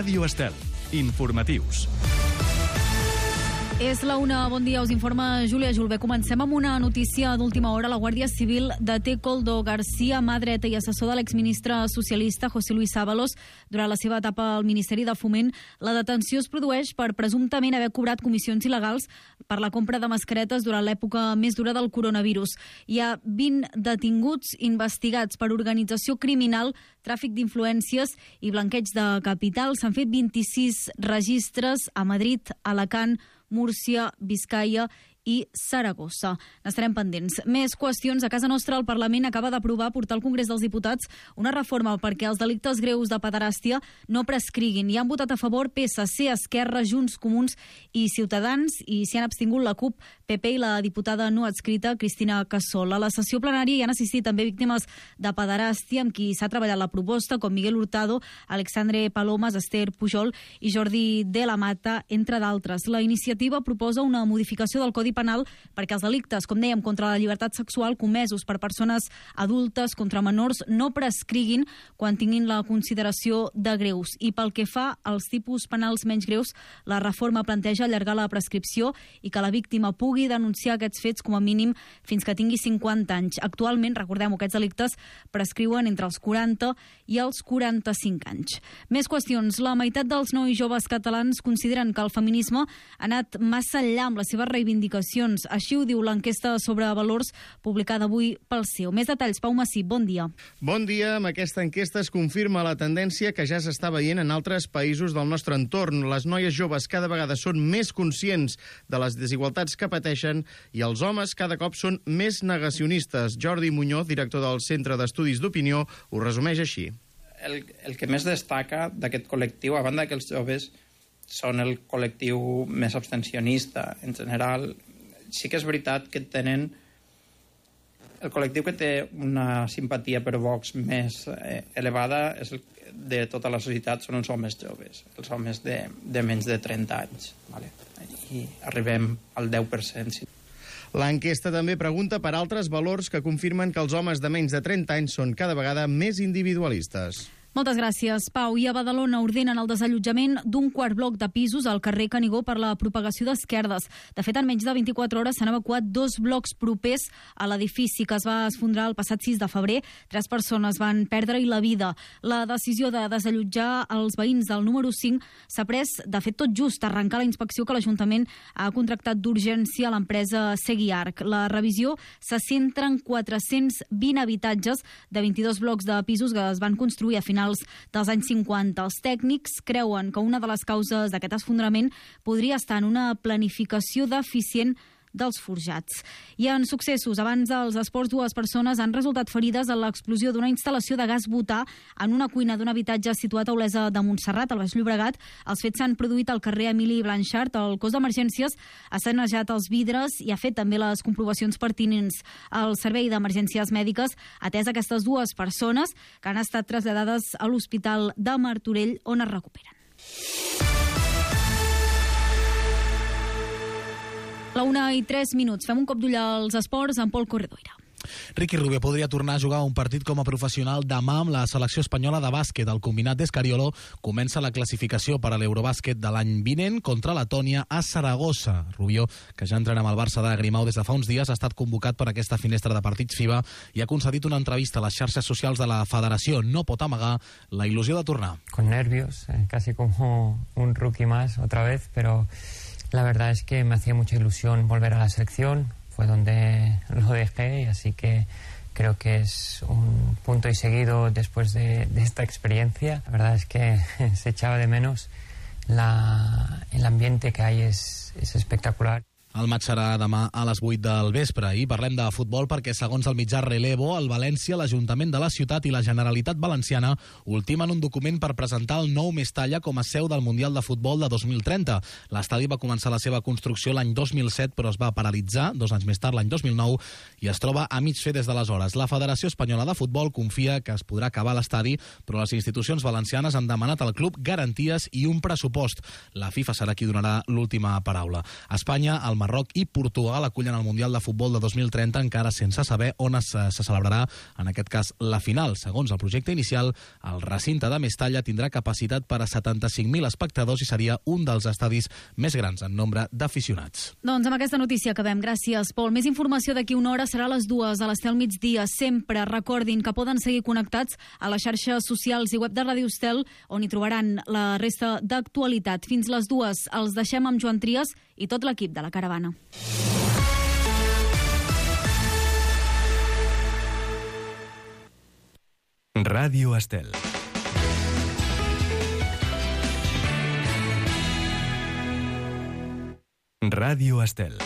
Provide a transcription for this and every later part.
Ràdio Estel. Informatius. És la una, bon dia, us informa Júlia Julbé. Comencem amb una notícia d'última hora. La Guàrdia Civil deté Koldo García, mà dreta i assessor de l'exministre socialista José Luis Ábalos durant la seva etapa al Ministeri de Foment. La detenció es produeix per presumptament haver cobrat comissions il·legals per la compra de mascaretes durant l'època més dura del coronavirus. Hi ha 20 detinguts investigats per organització criminal, tràfic d'influències i blanqueig de capital. S'han fet 26 registres a Madrid, Alacant, Múrcia, Biscaia i Saragossa. N'estarem pendents. Més qüestions. A casa nostra, el Parlament acaba d'aprovar portar al Congrés dels Diputats una reforma perquè els delictes greus de pederàstia no prescriguin. Hi han votat a favor PSC, Esquerra, Junts, Comuns i Ciutadans, i s'hi han abstingut la CUP, PP i la diputada no adscrita Cristina Casol. A la sessió plenària hi han assistit també víctimes de pederàstia amb qui s'ha treballat la proposta, com Miguel Hurtado, Alexandre Palomas, Esther Pujol i Jordi de la Mata, entre d'altres. La iniciativa proposa una modificació del Codi Penal perquè els delictes, com dèiem, contra la llibertat sexual comesos per persones adultes contra menors no prescriguin quan tinguin la consideració de greus. I pel que fa als tipus penals menys greus, la reforma planteja allargar la prescripció i que la víctima pugui denunciar aquests fets com a mínim fins que tingui 50 anys. Actualment, recordem, aquests delictes prescriuen entre els 40 i els 45 anys. Més qüestions. La meitat dels nois joves catalans consideren que el feminisme ha anat massa enllà amb les seves reivindicacions. Així ho diu l'enquesta sobre valors publicada avui pel CEO. Més detalls, Pau Massip, bon dia. Bon dia. Amb aquesta enquesta es confirma la tendència que ja s'està veient en altres països del nostre entorn. Les noies joves cada vegada són més conscients de les desigualtats que pateixen i els homes cada cop són més negacionistes. Jordi Muñoz, director del Centre d'Estudis d'Opinió, ho resumeix així. El que més destaca d'aquest col·lectiu, a banda que els joves són el col·lectiu més abstencionista en general, sí que és veritat que tenen el col·lectiu que té una simpatia per Vox més elevada és de tota la societat, són els homes joves, els homes de menys de 30 anys, vale? I arribem al 10%. L'enquesta també pregunta per altres valors que confirmen que els homes de menys de 30 anys són cada vegada més individualistes. Moltes gràcies, Pau. I a Badalona ordenen el desallotjament d'un quart bloc de pisos al carrer Canigó per la propagació d'esquerdes. De fet, en menys de 24 hores s'han evacuat 2 blocs propers a l'edifici que es va esfondrar el passat 6 de febrer. 3 persones van perdre-hi la vida. La decisió de desallotjar els veïns del número 5 s'ha pres, de fet, tot just arrencar la inspecció que l'Ajuntament ha contractat d'urgència a l'empresa Seguiarc. La revisió se centra en 420 habitatges de 22 blocs de pisos que es van construir a finals dels anys 50. Els tècnics creuen que una de les causes d'aquest esfondrament podria estar en una planificació deficient dels forjats. I en successos, abans dels esports, 2 persones han resultat ferides en l'explosió d'una instal·lació de gas butà en una cuina d'un habitatge situat a Olesa de Montserrat, al Baix Llobregat. Els fets s'han produït al carrer Emili Blanchard. El cos d'emergències ha sanejat els vidres i ha fet també les comprovacions pertinents al servei d'emergències mèdiques, atès aquestes 2 persones que han estat traslladades a l'Hospital de Martorell, on es recuperen. La 1:03. Fem un cop d'ull als esports amb Pol Corredoira. Ricky Rubio podria tornar a jugar un partit com a professional demà amb la selecció espanyola de bàsquet. El combinat d'Escariolo comença la classificació per a l'Eurobàsquet de l'any vinent contra Letònia a Saragossa. Rubio, que ja entrena amb el Barça de Grimau des de fa uns dies, ha estat convocat per aquesta finestra de partits FIBA i ha concedit una entrevista a les xarxes socials de la federació. No pot amagar la il·lusió de tornar. Con nervios, casi como un rookie más otra vez, pero la verdad es que me hacía mucha ilusión volver a la selección. Fue donde lo dejé, y así que creo que es un punto y seguido después de esta experiencia. La verdad es que se echaba de menos, el ambiente que hay es espectacular. El match serà demà a les 8 del vespre i parlem de futbol perquè, segons el mitjà Relevo, el València, l'Ajuntament de la ciutat i la Generalitat Valenciana ultimen un document per presentar el nou Mestalla com a seu del Mundial de Futbol de 2030. L'estadi va començar la seva construcció l'any 2007, però es va paralitzar 2 anys més tard, l'any 2009, i es troba a mig fer des d'aleshores. La Federació Espanyola de Futbol confia que es podrà acabar l'estadi, però les institucions valencianes han demanat al club garanties i un pressupost. La FIFA serà qui donarà l'última paraula. A Espanya, el Marroc i Portugal acullen el Mundial de Futbol de 2030, encara sense saber on se celebrarà, en aquest cas, la final. Segons el projecte inicial, el recinte de Mestalla tindrà capacitat per a 75.000 espectadors i seria un dels estadis més grans en nombre d'aficionats. Doncs amb aquesta notícia acabem. Gràcies, Pol. Més informació d'aquí una hora serà a les 2 a l'Estel migdia. Sempre recordin que poden seguir connectats a les xarxes socials i web de Ràdio Estel, on hi trobaran la resta d'actualitat. Fins les 2 els deixem amb Joan Trias i tot l'equip de la Caravana. Ràdio Estel. Ràdio Estel.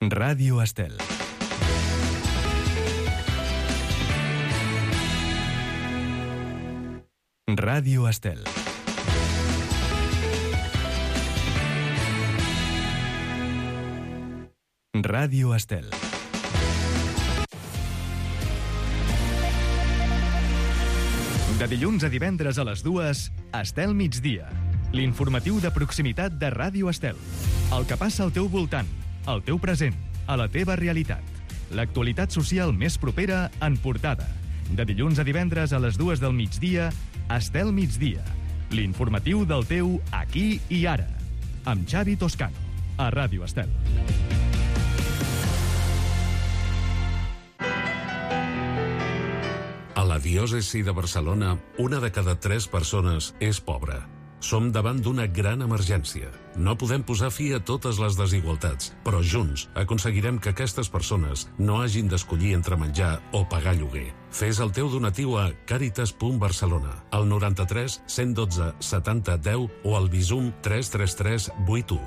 Ràdio Estel. Ràdio Estel. Ràdio Estel. De dilluns a divendres a les 2, Estel migdia. L'informatiu de proximitat de Ràdio Estel. El que passa al teu voltant, al teu present, a la teva realitat. L'actualitat social més propera en portada. De dilluns a divendres a les 2 del migdia, Estel migdia. L'informatiu del teu aquí i ara. Amb Xavi Toscano, a Ràdio Estel. A la diòcesi de Barcelona, 1 de cada 3 persones és pobra. Som davant d'una gran emergència. No podem posar fi a totes les desigualtats, però junts aconseguirem que aquestes persones no hagin d'escollir entre menjar o pagar lloguer. Fes el teu donatiu a Càritas.Barcelona, al 93 112 70 10 o al Bizum 333 81.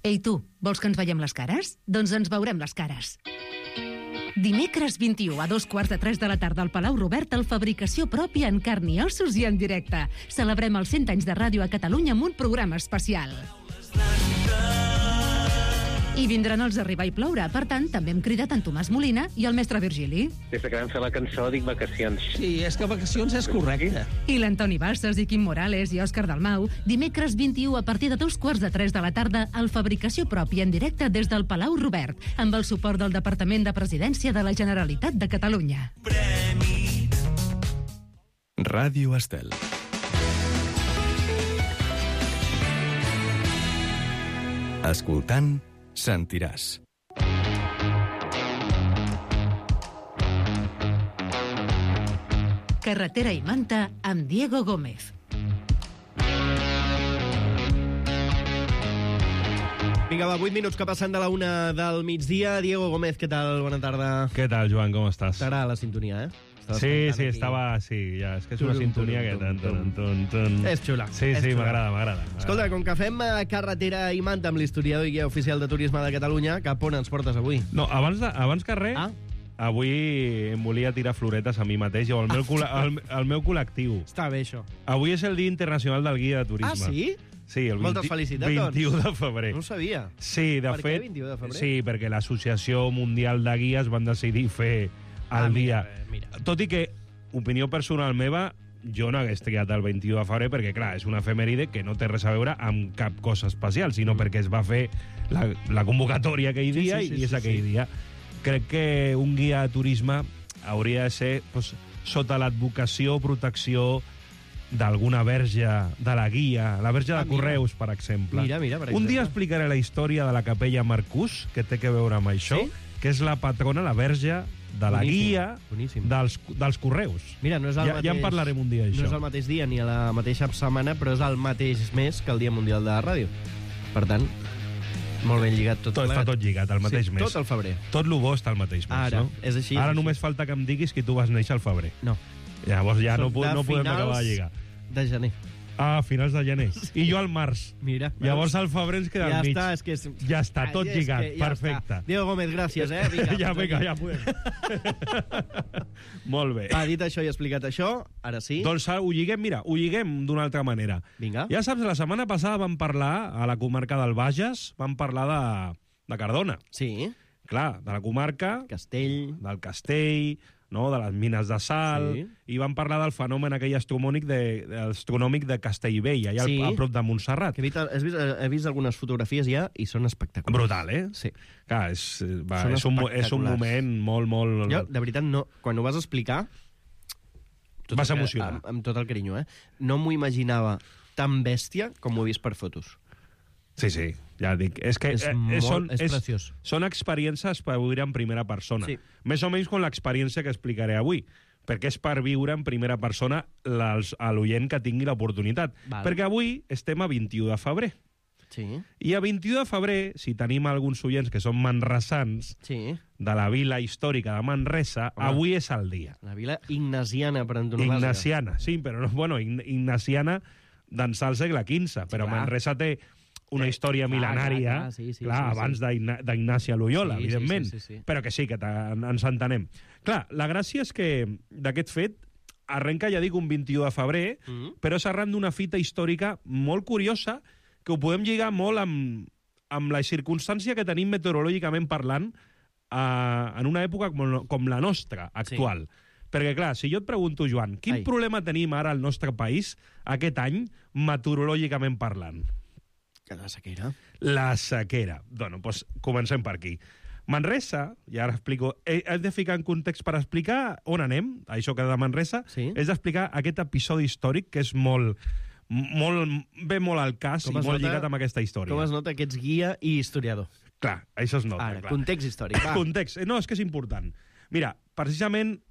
Ei tu, vols que ens veiem les cares? Doncs ens veurem les cares. Dimecres 21 a 2:15 de la tarda al Palau Robert, el Fabricació Pròpia en carn i ossos i en directe. Celebrem els 100 anys de ràdio a Catalunya amb un programa especial. I vindran els Arribar i Ploure. Per tant, també hem cridat en Tomàs Molina i el mestre Virgili. Des que vam fer la cançó dic vacacions. Sí, és que vacacions és correcte. I l'Antoni Bassas i Quim Morales i Òscar Dalmau. Dimecres 21 a partir de 2:15 de la tarda al Fabricació Pròpia en directe des del Palau Robert, amb el suport del Departament de Presidència de la Generalitat de Catalunya. Ràdio Estel. Escoltant, sentiràs. Carretera i Manta amb Diego Gómez. Vinga, va, 8 minuts que passen de la 1 del migdia. Diego Gómez, què tal? Bona tarda. ¿Qué tal, Joan? ¿Cómo estás? T'agrada la sintonia, Sí, estava... Sí, ja, és que és una sintonia que... És xula. Sí, m'agrada. Escolta, com que fem carretera i Manta amb l'historiador i guia oficial de turisme de Catalunya, cap on ens portes avui? No, abans que res, avui em volia tirar floretes a mi mateix o al meu col·lectiu. Està bé, això. Avui és el Dia Internacional del Guia de Turisme. Ah, sí? Sí, el Moltes felicitats, 21 de febrer. No ho sabia. Sí, de fet... Per què 21 de febrer? Sí, perquè l'Associació Mundial de Guies van decidir fer el dia. Mira. Tot i que, opinió personal meva, jo no hagués triat el 21 de febrer perquè, clar, és una efemèride que no té res a veure amb cap cosa especial, sinó perquè es va fer la convocatòria aquell dia i és aquell dia. Crec que un guia de turisme hauria de ser sota l'advocació o protecció d'alguna verge de la guia, la verge de Correus, per exemple. Mira, per exemple. Un dia explicaré la història de la capella Marcús, que té que veure amb això, que és la patrona, la verge de la guia dels Correus. Mira, no és el mateix... Ja en parlarem un dia, això. No és el mateix dia ni a la mateixa setmana, però és el mateix mes que el Dia Mundial de la Ràdio. Per tant, molt ben lligat tot. Està tot lligat, al mateix mes. Tot el febrer. Tot el bo està al mateix mes, Ara, no? és així. Ara només falta que em diguis que tu vas néixer al febrer. No. Llavors ja no podem acabar de lligar. De gener. Ah, finals de gener. I jo al març. Mira. Llavors al febrer ens queda al mig. Ja està, tot lligat. Perfecte. Diego Gómez, gràcies, Ja podem. Molt bé. Dit això i explicat això, ara sí. Doncs ho lliguem d'una altra manera. Vinga. Ja saps, la setmana passada vam parlar a la comarca del Bages, vam parlar de Cardona. Sí. Clar, de la comarca... Castell. Del Castell, no? De les mines de sal, i van parlar del fenomen aquell astronòmic de Castellbell, allà a prop de Montserrat. He vist algunes fotografies ja i són espectaculars. Brutal, Sí. Clar, és un moment molt... Jo, de veritat, no, quan ho vas explicar... Vas emocionar. Amb tot el carinyo, no m'ho imaginava tan bèstia com ho he vist per fotos. Sí, ja dic. És que és preciós. Són experiències per viure en primera persona. Sí. Més o menys com l'experiència que explicaré avui, perquè és per viure en primera persona a l'oient que tingui l'oportunitat. Perquè avui estem a 21 de febrer. Sí. I a 21 de febrer, si tenim alguns oients que són manresans de la vila històrica de Manresa, avui és el dia. La vila ignasiana, per antonomàsia. Ignasiana, sí, però ignasiana d'ençà al segle XV, però Manresa té una història mil·lenària, abans d'Ignasi Loyola, evidentment, però que sí, que ens entenem. Clar, la gràcia és que d'aquest fet arrenca, ja dic, un 21 de febrer, però és arran d'una fita històrica molt curiosa que ho podem lligar molt amb la circumstància que tenim meteorològicament parlant en una època com la nostra, actual. Perquè, clar, si jo et pregunto, Joan, quin problema tenim ara al nostre país aquest any, meteorològicament parlant? La sequera. La sequera. Doncs comencem per aquí. Manresa, i ara explico, he de ficar en context per explicar on anem, això que de Manresa, és d'explicar aquest episodi històric que és molt al cas i molt lligat amb aquesta història. Com es nota que ets guia i historiador? Clar, això es nota. Ara, context històric. Context. No, és que és important. Mira, precisament,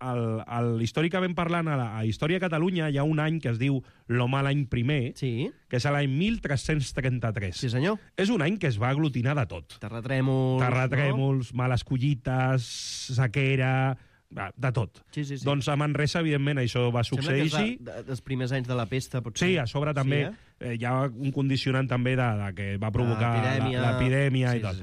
històricament parlant, a Història de Catalunya hi ha un any que es diu l'Home l'any primer, que és l'any 1333. Sí, senyor. És un any que es va aglutinar de tot. Terratrèmols, males collites, sequera, de tot. Sí. Doncs a Manresa, evidentment, això va succeir així. Sembla que dels primers anys de la pesta, potser. Sí, a sobre també hi ha un condicionant també que va provocar l'epidèmia i tot.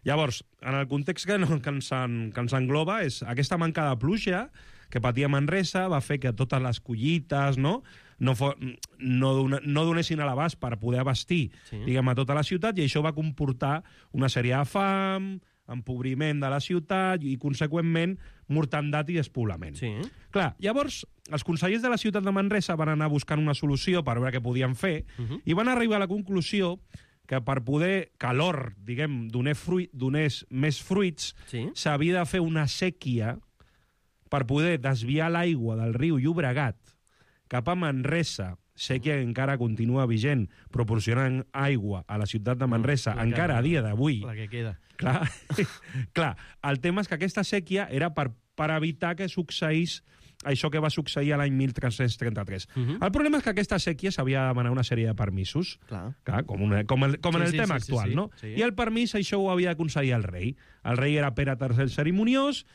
Llavors, en el context que ens engloba, és aquesta manca de pluja que patia Manresa va fer que totes les collites no donessin a l'abast per poder abastir a tota la ciutat, i això va comportar una sèrie de fam, empobriment de la ciutat i, conseqüentment, mortandat i despoblament. Clar, llavors, els consellers de la ciutat de Manresa van anar buscant una solució per veure què podien fer i van arribar a la conclusió que per poder que l'or, donés més fruits, s'havia de fer una sèquia per poder desviar l'aigua del riu Llobregat cap a Manresa, sèquia que encara continua vigent, proporcionant aigua a la ciutat de Manresa, encara a dia d'avui. La que queda. Clar, el tema és que aquesta sèquia era per evitar que succeís això que va succeir a l'any 1333. El problema és que aquesta sèquia s'havia de demanar una sèrie de permisos, com en el tema actual, no? I el permís, això ho havia d'aconseguir el rei. El rei era Pere III el Cerimoniós,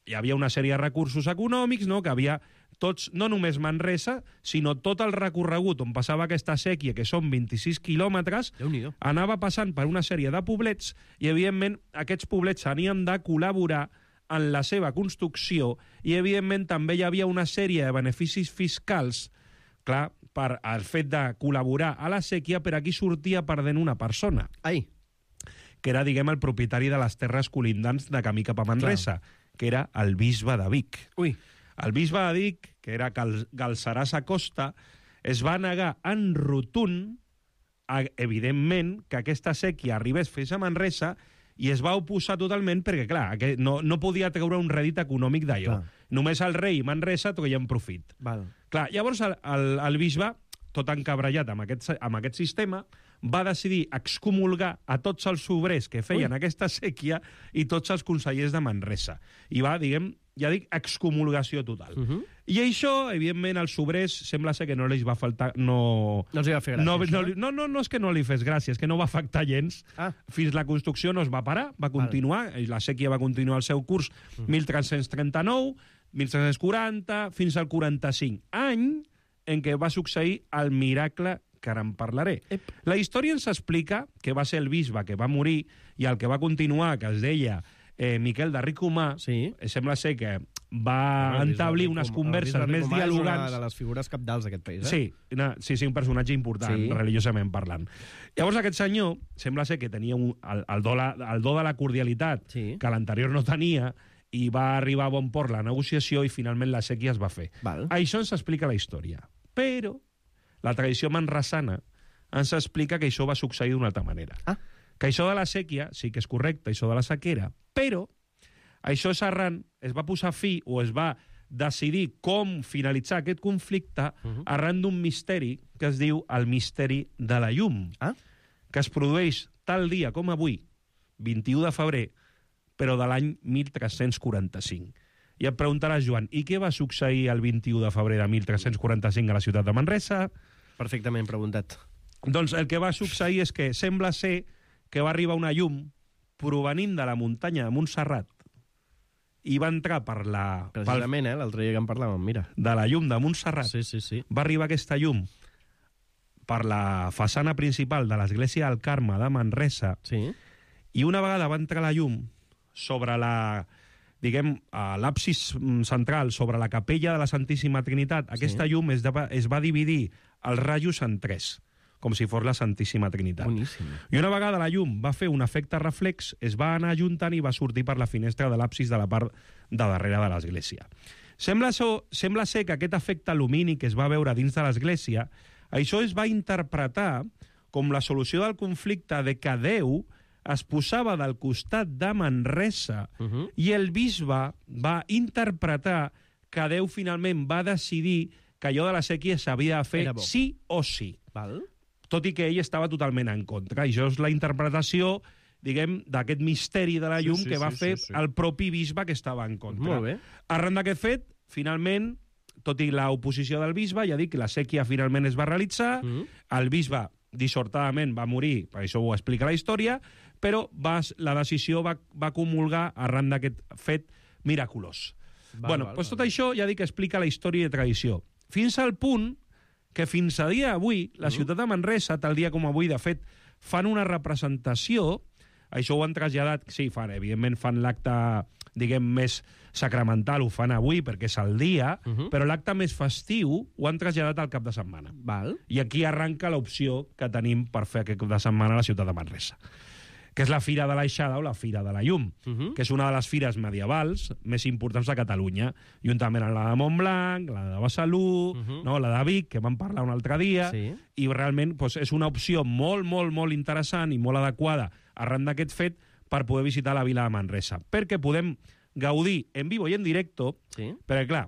hi havia una sèrie de recursos econòmics, que havia tots, no només Manresa, sinó tot el recorregut on passava aquesta sèquia, que són 26 quilòmetres, anava passant per una sèrie de poblets i, evidentment, aquests poblets tenien de col·laborar en la seva construcció i, evidentment, també hi havia una sèrie de beneficis fiscals, clar, per el fet de col·laborar a la sèquia, per aquí sortia perdent una persona. Que era, el propietari de les terres colindants de camí cap a Manresa, que era el bisbe de Vic. El bisbe de Vic, que era Galceràs Acosta, es va negar en rotund, evidentment, que aquesta sèquia arribés fins a Manresa, i es va oposar totalment perquè, clar, no podia treure un rèdit econòmic d'allò. Només el rei i Manresa treien profit. Clar, llavors el bisbe, tot encabrellat amb aquest sistema, va decidir excomulgar a tots els obrers que feien aquesta sèquia i tots els consellers de Manresa. I va, excomulgació total. I això, evidentment, als obrers sembla ser que no els va faltar... No els va fer gràcia. No és que no li fes gràcia, és que no va afectar gens. Fins la construcció no es va parar, va continuar, la sèquia va continuar el seu curs 1339, 1340, fins al 45, any en què va succeir el miracle que ara en parlaré. La història ens explica que va ser el bisbe que va morir i el que va continuar, que es deia Miquel de Ricomà, sembla ser que va entablir unes converses més dialogants. És una de les figures capdals d'aquest país, Sí, un personatge important, religiosament parlant. Llavors aquest senyor, sembla ser que tenia el do de la cordialitat, que l'anterior no tenia, i va arribar a bon port la negociació i finalment la sèquia es va fer. Això ens explica la història. Però la tradició manresana ens explica que això va succeir d'una altra manera. Que això de la sèquia, sí que és correcte, això de la sequera, però això és arran, es va posar fi o es va decidir com finalitzar aquest conflicte arran d'un misteri que es diu el misteri de la llum, que es produeix tal dia com avui, 21 de febrer, però de l'any 1345. I et preguntaràs, Joan, i què va succeir el 21 de febrer de 1345 a la ciutat de Manresa? Perfectament preguntat. Doncs el que va succeir és que sembla ser que va arribar una llum provenint de la muntanya de Montserrat i va entrar per la... Precisament, l'altre dia que en parlàvem, mira. De la llum de Montserrat. Sí. Va arribar aquesta llum per la façana principal de l'església del Carme de Manresa i una vegada va entrar la llum sobre la... diguem, a l'absis central, sobre la capella de la Santíssima Trinitat, aquesta llum es va dividir els rajos en tres, com si fos la Santíssima Trinitat. Boníssim. I una vegada la llum va fer un efecte reflex, es va anar ajuntant i va sortir per la finestra de l'absis de la part de darrere de l'església. Sembla ser que aquest efecte lumínic que es va veure dins de l'església, això es va interpretar com la solució del conflicte de que Déu es posava del costat de Manresa i el bisbe va interpretar que Déu finalment va decidir que allò de la sèquia s'havia de fer sí o sí. Tot i que ell estava totalment en contra. I això és la interpretació, diguem, d'aquest misteri de la llum que va fer el propi bisbe que estava en contra. Molt bé. Arran d'aquest fet, finalment, tot i l'oposició del bisbe, ja dic que la sèquia finalment es va realitzar, el bisbe dissortadament va morir, per això ho explica la història, però la decisió va comulgar arran d'aquest fet miraculós. Tot això ja dic que explica la història i la tradició. Fins al punt que fins a dia d'avui, la ciutat de Manresa, tal dia com avui, de fet, fan una representació, això ho han traslladat, sí, evidentment fan l'acte, diguem, més sacramental, ho fan avui perquè és el dia, però l'acte més festiu ho han traslladat al cap de setmana. I aquí arranca l'opció que tenim per fer aquest cap de setmana a la ciutat de Manresa, que és la Fira de l'Aixada o la Fira de la Llum, que és una de les fires medievals més importants de Catalunya, juntament amb la de Montblanc, la de Besalú, la de Vic, que vam parlar un altre dia, i realment és una opció molt, molt, molt interessant i molt adequada arran d'aquest fet per poder visitar la vila de Manresa, perquè podem gaudir en vivo i en directo, perquè, clar,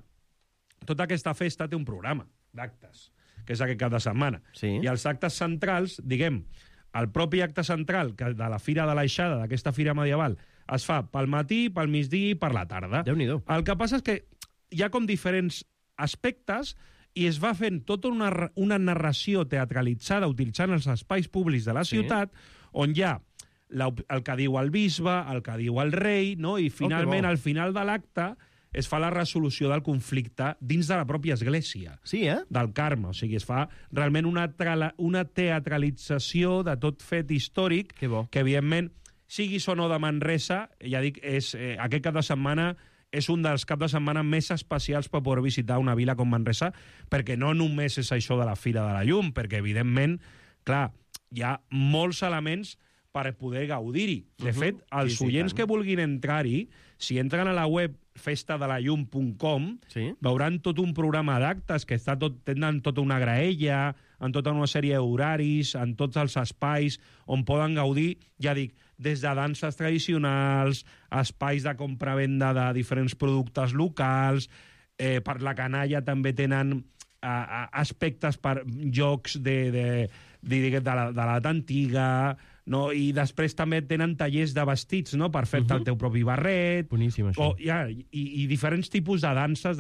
tota aquesta festa té un programa d'actes, que és aquest cap de setmana, i els actes centrals, diguem, el propi acte central de la Fira de l'Aixada, d'aquesta fira medieval, es fa pel matí, pel migdia i per la tarda. Déu-n'hi-do. El que passa és que hi ha com diferents aspectes i es va fent tota una narració teatralitzada utilitzant els espais públics de la ciutat, on hi ha el que diu el bisbe, el que diu el rei, i finalment, al final de l'acte, es fa la resolució del conflicte dins de la pròpia església del Carme. O sigui, es fa realment una teatralització de tot fet històric que, evidentment, siguis o no de Manresa, ja dic, aquest cap de setmana és un dels caps de setmana més especials per poder visitar una vila com Manresa, perquè no només és això de la Fira de la Llum, perquè, evidentment, clar, hi ha molts elements per poder gaudir-hi. De fet, els oients que vulguin entrar-hi, si entren a la web festadelallum.com, veuran tot un programa d'actes que tenen tota una graella, en tota una sèrie d'horaris, en tots els espais on poden gaudir, ja dic, des de danses tradicionals, espais de compra-venda de diferents productes locals, per la canalla també tenen aspectes per jocs de l'edat antiga, i després també tenen tallers de vestits per fer-te el teu propi barret. Boníssim, això. I diferents tipus de danses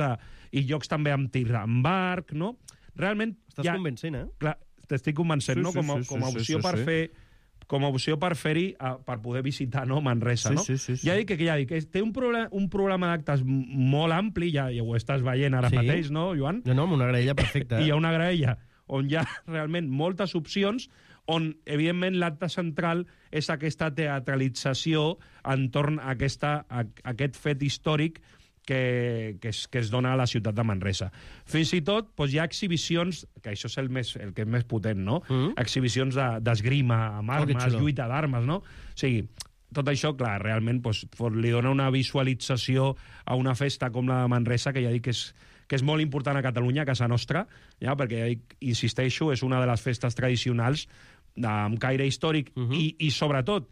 i jocs també amb tir amb arc, no? Realment... Estàs convencent, Clar, t'estic convencent, no? Com a opció per fer... com a opció per fer-hi, per poder visitar Manresa, no? Ja dic que té un programa d'actes molt ampli, ja ho estàs veient ara mateix, no, Joan? No, amb una graella perfecta. I hi ha una graella on hi ha realment moltes opcions, on, evidentment, l'acte central és aquesta teatralització entorn a aquest fet històric que es dona a la ciutat de Manresa. Fins i tot hi ha exhibicions, que això és el que és més potent, no? Exhibicions d'esgrima amb armes, lluita d'armes, no? O sigui, tot això, clar, realment li dona una visualització a una festa com la de Manresa, que ja dic que és molt important a Catalunya, a casa nostra, ja, perquè, ja dic, insisteixo, és una de les festes tradicionals amb caire històric i sobretot,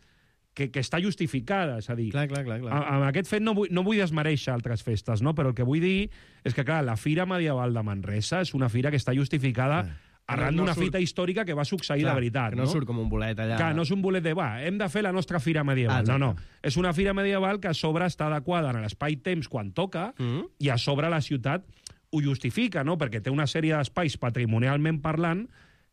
que està justificada, és a dir... Clar. Amb aquest fet no vull desmereixer altres festes, no? Però el que vull dir és que, clar, la Fira Medieval de Manresa és una fira que està justificada arran d'una fita històrica que va succeir de veritat. Que no surt com un bolet allà. Clar, no és un bolet de, hem de fer la nostra Fira Medieval. No. És una Fira Medieval que a sobre està adequada en l'espai-temps quan toca i a sobre la ciutat ho justifica, no? Perquè té una sèrie d'espais patrimonialment parlant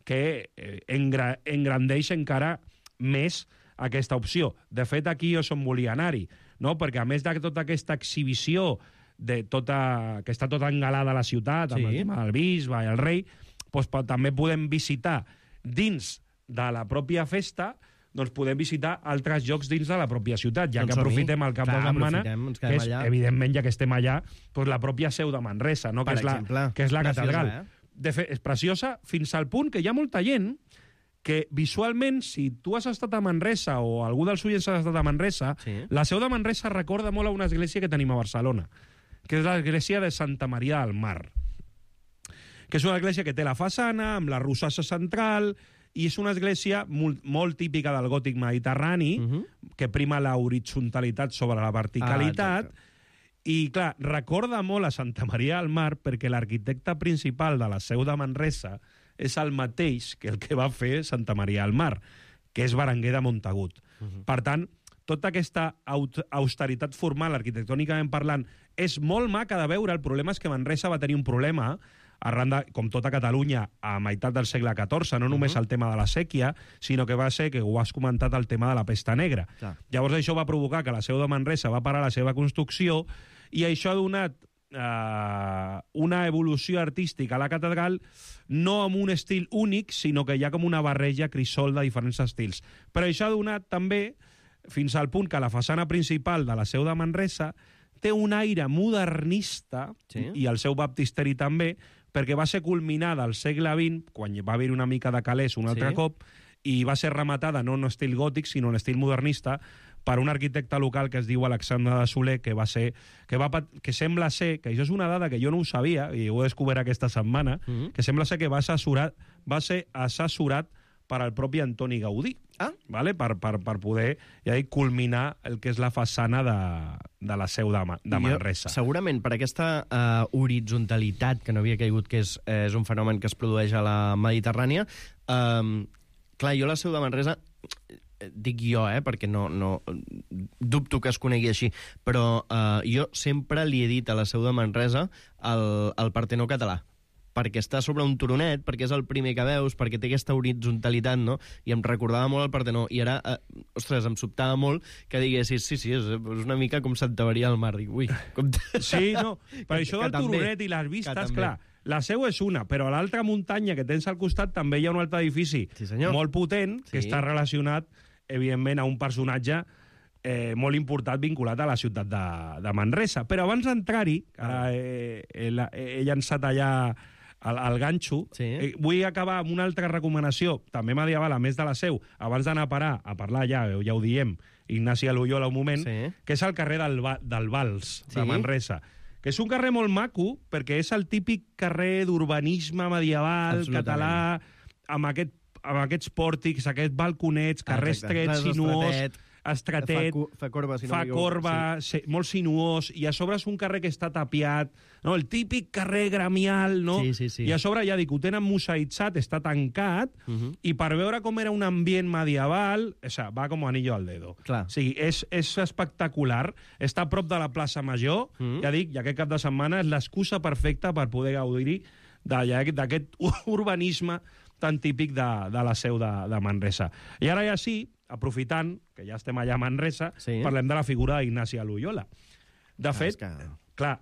que engrandeix encara més aquesta opció. De fet, aquí jo som volia anar-hi, no? Perquè a més de tota aquesta exhibició que està tota engalada a la ciutat, amb el tema del bisbe i el rei, doncs també podem visitar dins de la pròpia festa, doncs podem visitar altres llocs dins de la pròpia ciutat, ja que aprofitem el cap de setmana, que és, evidentment, ja que estem allà, doncs la pròpia seu de Manresa, no? Que és la catedral. De fet, és preciosa fins al punt que hi ha molta gent que visualment, si tu has estat a Manresa o algú dels oients ha estat a Manresa, la seu de Manresa recorda molt a una església que tenim a Barcelona, que és l'església de Santa Maria del Mar, que és una església que té la façana, amb la rosassa central, i és una església molt típica del gòtic mediterrani, que prima la horitzontalitat sobre la verticalitat, i, clar, recorda molt a Santa Maria del Mar perquè l'arquitecte principal de la seu de Manresa és el mateix que el que va fer Santa Maria del Mar, que és Berenguer de Montagut. Per tant, tota aquesta austeritat formal, arquitectònicament parlant, és molt maca de veure. El problema és que Manresa va tenir un problema arran de, com tota Catalunya, a meitat del segle XIV, no només el tema de la sèquia, sinó que va ser, que ho has comentat, el tema de la pesta negra. Llavors això va provocar que la seu de Manresa va parar la seva construcció i això ha donat una evolució artística a la catedral, no amb un estil únic, sinó que hi ha com una barreja crisol de diferents estils. Però això ha donat també, fins al punt que la façana principal de la seu de Manresa té un aire modernista, i el seu baptisteri també, perquè va ser culminada al segle XX, quan va haver una mica de calés un altre cop, i va ser rematada no en estil gòtic, sinó en estil modernista, per un arquitecte local que es diu Alexandre de Soler, que sembla ser, que això és una dada que jo no ho sabia, i ho he descobert aquesta setmana, que sembla ser que va ser assessorat per al propi Antoni Gaudí, vale? per poder culminar el que és la façana de la seu de Manresa. Segurament per aquesta horitzontalitat que no havia caigut, que és un fenomen que es produeix a la Mediterrània, clar, jo la seu de Manresa, dic jo, perquè no dubto que es conegui així, però jo sempre li he dit a la seu de Manresa el Partenó català, perquè està sobre un turonet, perquè és el primer que veus, perquè té aquesta horitzonalitat, no? I em recordava molt el Partenó, i ara, ostres, em sobtava molt que diguessis, sí, és una mica com Santa Maria del Mar. Dic, ui, com... Sí, no, per això del turonet i les vistes, clar, la seu és una, però a l'altra muntanya que tens al costat també hi ha un altre edifici molt potent, que està relacionat, evidentment, a un personatge molt important vinculat a la ciutat de Manresa. Però abans d'entrar-hi, he llançat allà el ganxo, vull acabar amb una altra recomanació, també medieval, a més de la seu, abans d'anar a parlar ja ho diem, Ignasi a Loyola un moment, que és el carrer del Vals, de Manresa, que és un carrer molt maco, perquè és el típic carrer d'urbanisme medieval, català, amb aquests pòrtics, aquests balconets, carrer estret, sinuós, estretet, fa corba, molt sinuós, i a sobre és un carrer que està tapiat, no? El típic carrer gremial, no? I a sobre, ja dic, ho tenen museïtzat, està tancat, i per veure com era un ambient medieval, va com anillo al dedo. O sigui, és espectacular, està a prop de la plaça Major, ja dic, i aquest cap de setmana és l'excusa perfecta per poder gaudir d'aquest urbanisme tan típic de la seu de Manresa. I ara ja sí, aprofitant que ja estem allà a Manresa, parlem de la figura d'Ignasi de Loyola. De fet, clar,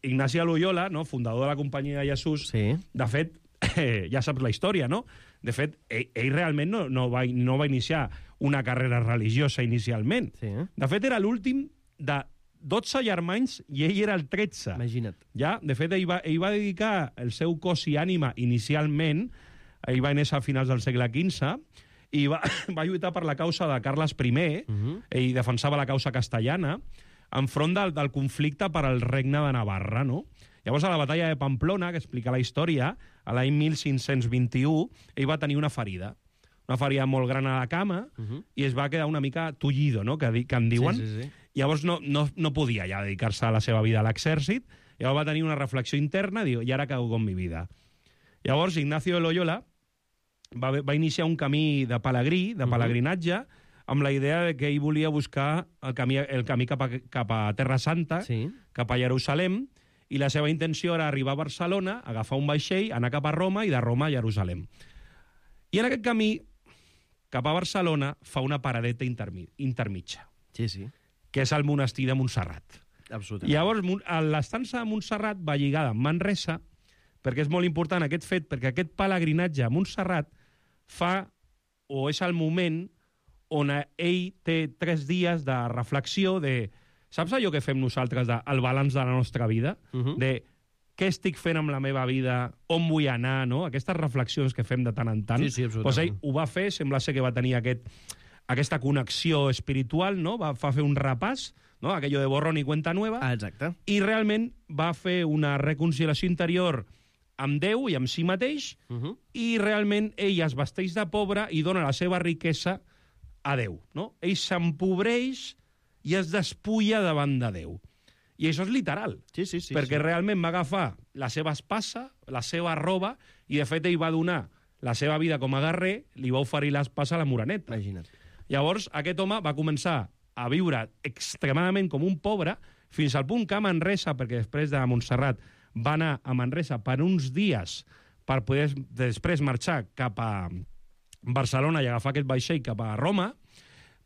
Ignasi de Loyola, fundador de la Companyia de Jesús, de fet, ja saps la història, no? De fet, ell realment no va iniciar una carrera religiosa inicialment. De fet, era l'últim de 12 germans i ell era el 13. Imagina't. Ja? De fet, ell va dedicar el seu cos i ànima inicialment, ell va néixer a finals del segle XV, i va lluitar per la causa de Carles I, i defensava la causa castellana, enfront del conflicte per al regne de Navarra, no? Llavors, a la batalla de Pamplona, que explica la història, a l'any 1521, ell va tenir una ferida molt gran a la cama, i es va quedar una mica tullido, no?, que en diuen. Sí. Llavors no podia ja dedicar-se a la seva vida a l'exèrcit, llavors va tenir una reflexió interna, diu, i ara què hago con mi vida? Llavors, Ignacio de Loyola va iniciar un camí de pelegrinatge, amb la idea de que ell volia buscar el camí cap a Terra Santa, cap a Jerusalem, i la seva intenció era arribar a Barcelona, agafar un vaixell, anar cap a Roma i de Roma a Jerusalem. I en aquest camí, cap a Barcelona, fa una paradeta intermitja. Sí. Que és el monestir de Montserrat. Absolutament. Llavors, l'estança de Montserrat va lligada amb Manresa, perquè és molt important aquest fet, perquè aquest pelegrinatge a Montserrat és el moment on ell té 3 dies de reflexió de... Saps allò que fem nosaltres, el balanç de la nostra vida? De què estic fent amb la meva vida, on vull anar, no? Aquestes reflexions que fem de tant en tant. Sí, absolutament. Doncs ell ho va fer, sembla ser que va tenir aquesta connexió espiritual, no? Va fer un repàs, no? Aquello de borrón i cuenta nueva. Exacte. I realment va fer una reconciliació interior amb Déu i amb si mateix, i realment ell es vesteix de pobre i dona la seva riquesa a Déu, no? Ell s'empobreix i es despulla davant de Déu. I això és literal. Sí. Perquè realment va agafar la seva espasa, la seva roba, i de fet ell va donar la seva vida com a guerrer, li va oferir l'espasa a la Moreneta. Imagina't. Llavors, aquest home va començar a viure extremadament com un pobre, fins al punt que a Manresa, perquè després de Montserrat va anar a Manresa per uns dies per poder després marxar cap a Barcelona i agafar aquest vaixell cap a Roma,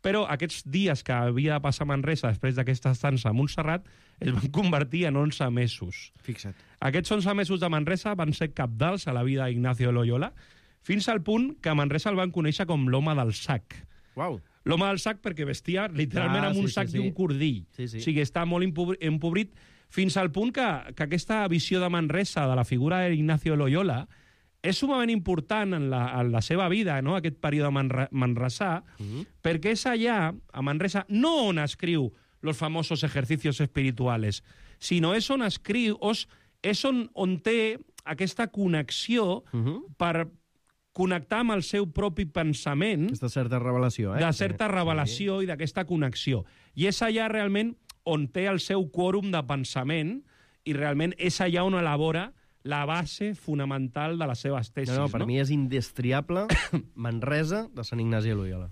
però aquests dies que havia de passar a Manresa després d'aquesta estança a Montserrat es van convertir en 11 mesos. Fixa't. Aquests 11 mesos de Manresa van ser cabdals a la vida d'Ignacio de Loyola, fins al punt que a Manresa el van conèixer com l'home del sac. Uau. L'home del sac perquè vestia literalment amb un sac i un cordill. Sí. O sigui, està molt empobrit, fins al punt que aquesta visió de Manresa, de la figura d'Ignacio de Loyola, és sumament important en la seva vida, no?, aquest període manresà, perquè és allà, a Manresa, no on escriu los famosos ejercicios espirituales, sinó és on escriu, és on té aquesta connexió per connectar amb el seu propi pensament. Aquesta certa revelació, De certa revelació i d'aquesta connexió. I és allà realment on té el seu quòrum de pensament i realment és allà on elabora la base fonamental de les seves tesis. No, per mi és indestriable Manresa de Sant Ignasi de Loyola.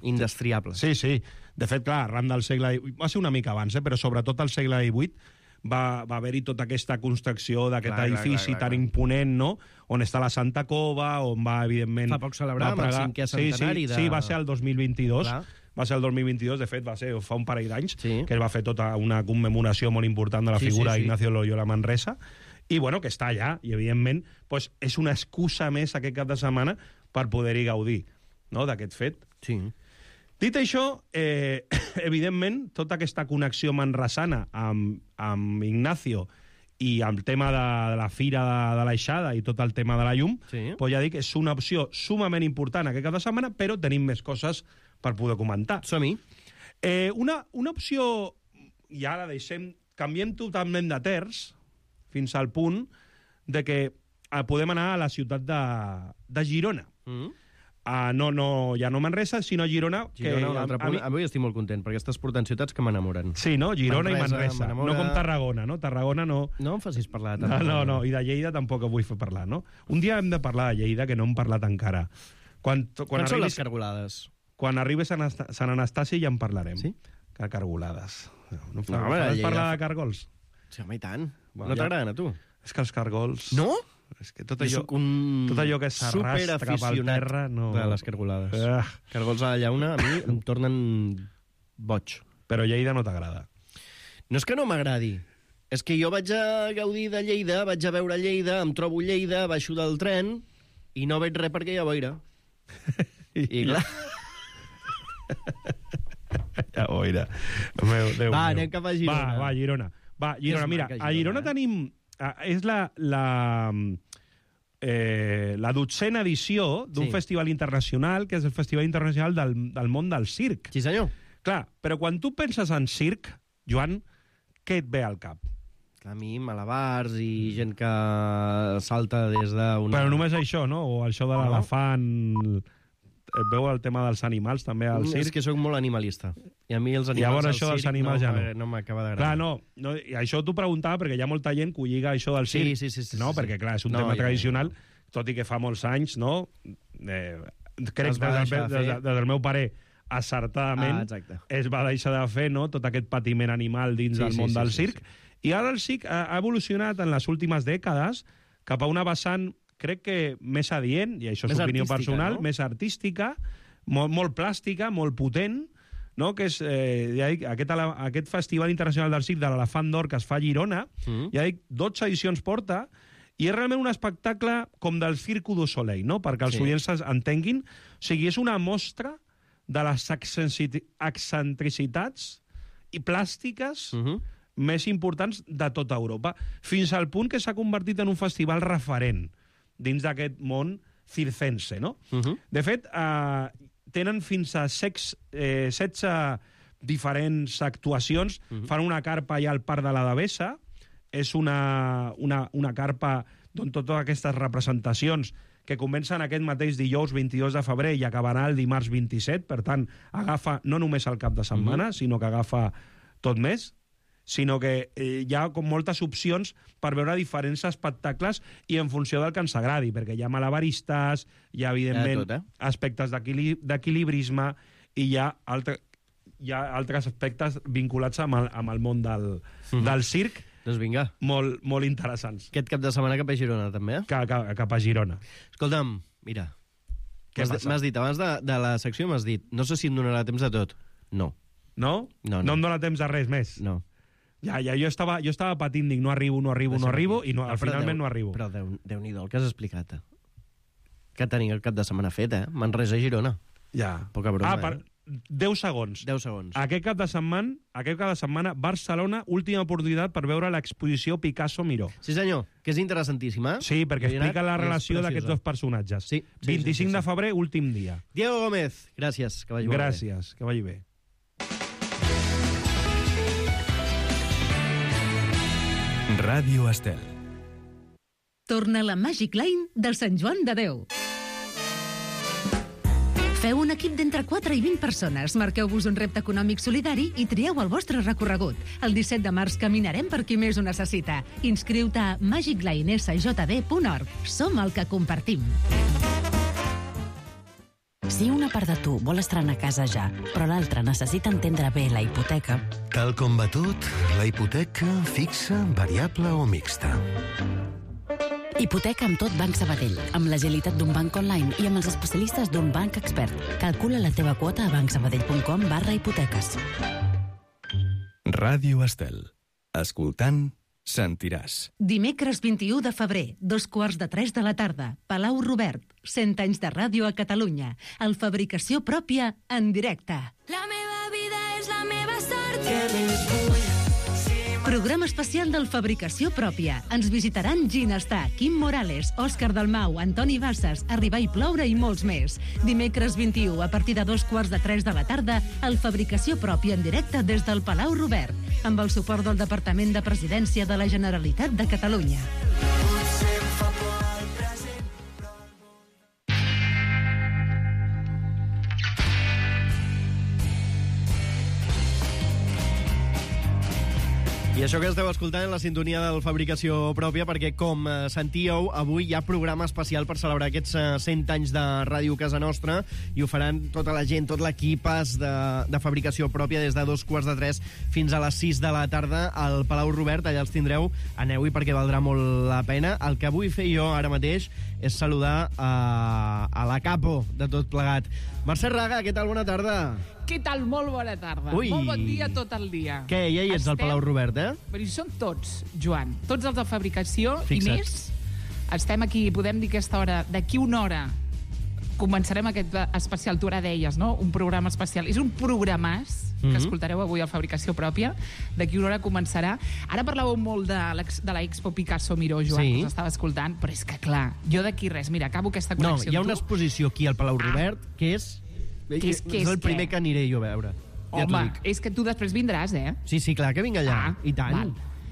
Indestriable. Sí. De fet, clar, arran del segle... Va ser una mica abans, però sobretot al segle XVIII va haver-hi tota aquesta construcció d'aquest edifici tan imponent, no?, on està la Santa Cova, on va, evidentment... Fa poc celebràvem el 5è centenari de... Sí, va ser el 2022. Clar. Va ser el 2022, de fet, fa un parell d'anys, que es va fer tota una commemoració molt important de la figura d'Ignacio Loyola Manresa, i, bueno, que està allà, i, evidentment, doncs, és una excusa més aquest cap de setmana per poder-hi gaudir, no?, d'aquest fet. Sí. Dit això, evidentment, tota aquesta connexió manresana amb Ignacio i el tema de la fira de l'Aixada i tot el tema de la llum, doncs ja dic, és una opció sumament important aquest cap de setmana, però tenim més coses per poder comentar. Som-hi. Una opció, ja la deixem, canviem totalment de terç, fins al punt de que podem anar a la ciutat de Girona. Ja no Manresa, sinó Girona. Girona, un altre punt. Avui estic molt content, perquè estàs portant ciutats que m'enamoren. Sí, no? Girona i Manresa. No com Tarragona, no? Tarragona no... No em facis parlar de Tarragona. No, i de Lleida tampoc vull fer parlar, no? Un dia hem de parlar de Lleida, que no hem parlat encara. Quan són les cargolades? Quan arribi Sant Anastasi ja en parlarem. Sí? Que cargolades. No parlar de cargols? Sí, home, i tant. No t'agraden, a tu? És que els cargols... No? És que tot allò que s'arrastra pel terra... No... de les cargolades. Cargols a la llauna, a mi em tornen boig. Però Lleida no t'agrada. No és que no m'agradi. És que jo vaig a gaudir de Lleida, vaig a veure Lleida, em trobo Lleida, baixo del tren i no veig res perquè hi ha boira. I clar... Ja boira. Va, anem cap a Girona. Va, Girona. Mira, a Girona tenim... És la 12a edició d'un festival internacional, que és el Festival Internacional del Món del Circ. Sí, senyor. Clar, però quan tu penses en circ, Joan, què et ve al cap? A mi, malabars i gent que salta des d'una... Però només això, no? O això de l'elefant... Et veu el tema dels animals, també, al circ? És que sóc molt animalista. I a mi els animals llavors, al això dels circ animals ja no m'acaba d'agradar. Clar, no, i això t'ho preguntava perquè hi ha molta gent que ho lliga això del circ. Sí. No, perquè, clar, és un tema tradicional, tot i que fa molts anys, no? Crec que des del meu pare acertadament es va deixar de fer, no?, tot aquest patiment animal dins del món del circ. I ara el circ ha evolucionat en les últimes dècades cap a una vessant, crec que més adient, i això és opinió personal, més artística, molt plàstica, molt potent, no?, que és aquest Festival Internacional del Circ de l'Elefant d'Or que es fa a Girona, ja dic, 12 edicions porta, i és realment un espectacle com del Cirque du Soleil, no?, perquè els oients entenguin. O sigui, és una mostra de les excentricitats i plàstiques més importants de tota Europa, fins al punt que s'ha convertit en un festival referent dins d'aquest món circense, no? De fet, tenen fins a 16 diferents actuacions. Fan una carpa allà al Parc de la Devesa. És una carpa d'on totes aquestes representacions que comencen aquest mateix dijous 22 de febrer i acabarà el dimarts 27, per tant, agafa no només el cap de setmana, sinó que agafa tot més, sinó que hi ha com moltes opcions per veure diferents espectacles i en funció del que ens agradi, perquè hi ha malabaristes, hi ha, evidentment, aspectes d'equilibrisme i hi ha altres aspectes vinculats amb el món del circ, doncs vinga, molt interessants. Aquest cap de setmana cap a Girona, també? Cap a Girona. Escolta'm, mira, m'has dit, abans de la secció m'has dit, no sé si em donarà temps de tot. No. No? No em dona temps de res més? No. Ja, jo estava patint, dic, no arribo, i finalment no arribo. Però Déu-n'hi-do el que has explicat. Que tenia el cap de setmana fet, Manresa a Girona. Ja. Poca broma, 10 segons. 10 segons. Aquest cap de setmana, Barcelona, última oportunitat per veure l'exposició Picasso-Miró. Sí, senyor, que és interessantíssima. Sí, perquè explica la relació d'aquests dos personatges. Sí. 25 de febrer, últim dia. Diego Gómez, gràcies, que vagi bé. Gràcies, que vagi bé. Ràdio Estel. Torna la Magic Line del Sant Joan de Déu. Feu un equip d'entre 4 i 20 persones, marqueu-vos un repte econòmic solidari i trieu el vostre recorregut. El 17 de març caminarem per qui més ho necessita. Inscriu-te a magiclinesjd.org. Som el que compartim. Si una part de tu vol estrenar casa ja, però l'altra necessita entendre bé la hipoteca... Tal com va tot, la hipoteca fixa, variable o mixta. Hipoteca amb tot Banc Sabadell, amb l'agilitat d'un banc online i amb els especialistes d'un banc expert. Calcula la teva quota a bancsabadell.com/hipoteques. Ràdio Estel. Escoltant, sentiràs. Dimecres 21 de febrer, 2:45 de la tarda, Palau Robert, 100 anys de ràdio a Catalunya. El Fabricació Pròpia en directe. La meva vida és la meva sort. Què més vull? Programa especial del Fabricació Pròpia. Ens visitaran Ginestar, Quim Morales, Òscar Dalmau, Antoni Bassas, Arribar i ploure i molts més. Dimecres 21, a partir de 2:45 de la tarda, el Fabricació Pròpia en directe des del Palau Robert, amb el suport del Departament de Presidència de la Generalitat de Catalunya. I això que esteu escoltant en la sintonia del Fabricació Pròpia, perquè, com sentíeu, avui hi ha programa especial per celebrar aquests 100 anys de Ràdio Casa Nostra, i ho faran tota la gent, tot l'equip de Fabricació Pròpia, des de 2:45 fins a les 6 de la tarda al Palau Robert. Allà els tindreu, aneu-hi perquè valdrà molt la pena. El que vull fer jo ara mateix és saludar a la capo de tot plegat. Mercè Raga, què tal? Bona tarda. Què tal? Molt bona tarda. Ui. Molt bon dia tot el dia. Què, ja hi ets al Palau Robert, Però hi som tots, Joan. Tots els de fabricació. Fixa't. I més. Estem aquí, podem dir aquesta hora, d'aquí una hora començarem aquest especial, tu ara deies, no? Un programa especial. És un programàs que escoltareu avui a Fabricació Pròpia. D'aquí una hora començarà. Ara parlàveu molt de l'Expo Picasso Miró, Joan, que us estava escoltant, però és que, clar, jo d'aquí res. Mira, acabo aquesta connexió. No, hi ha una exposició aquí al Palau Robert que és el primer que aniré jo a veure. Home, és que tu després vindràs, eh? Sí, clar que vinc allà. I tant. Val.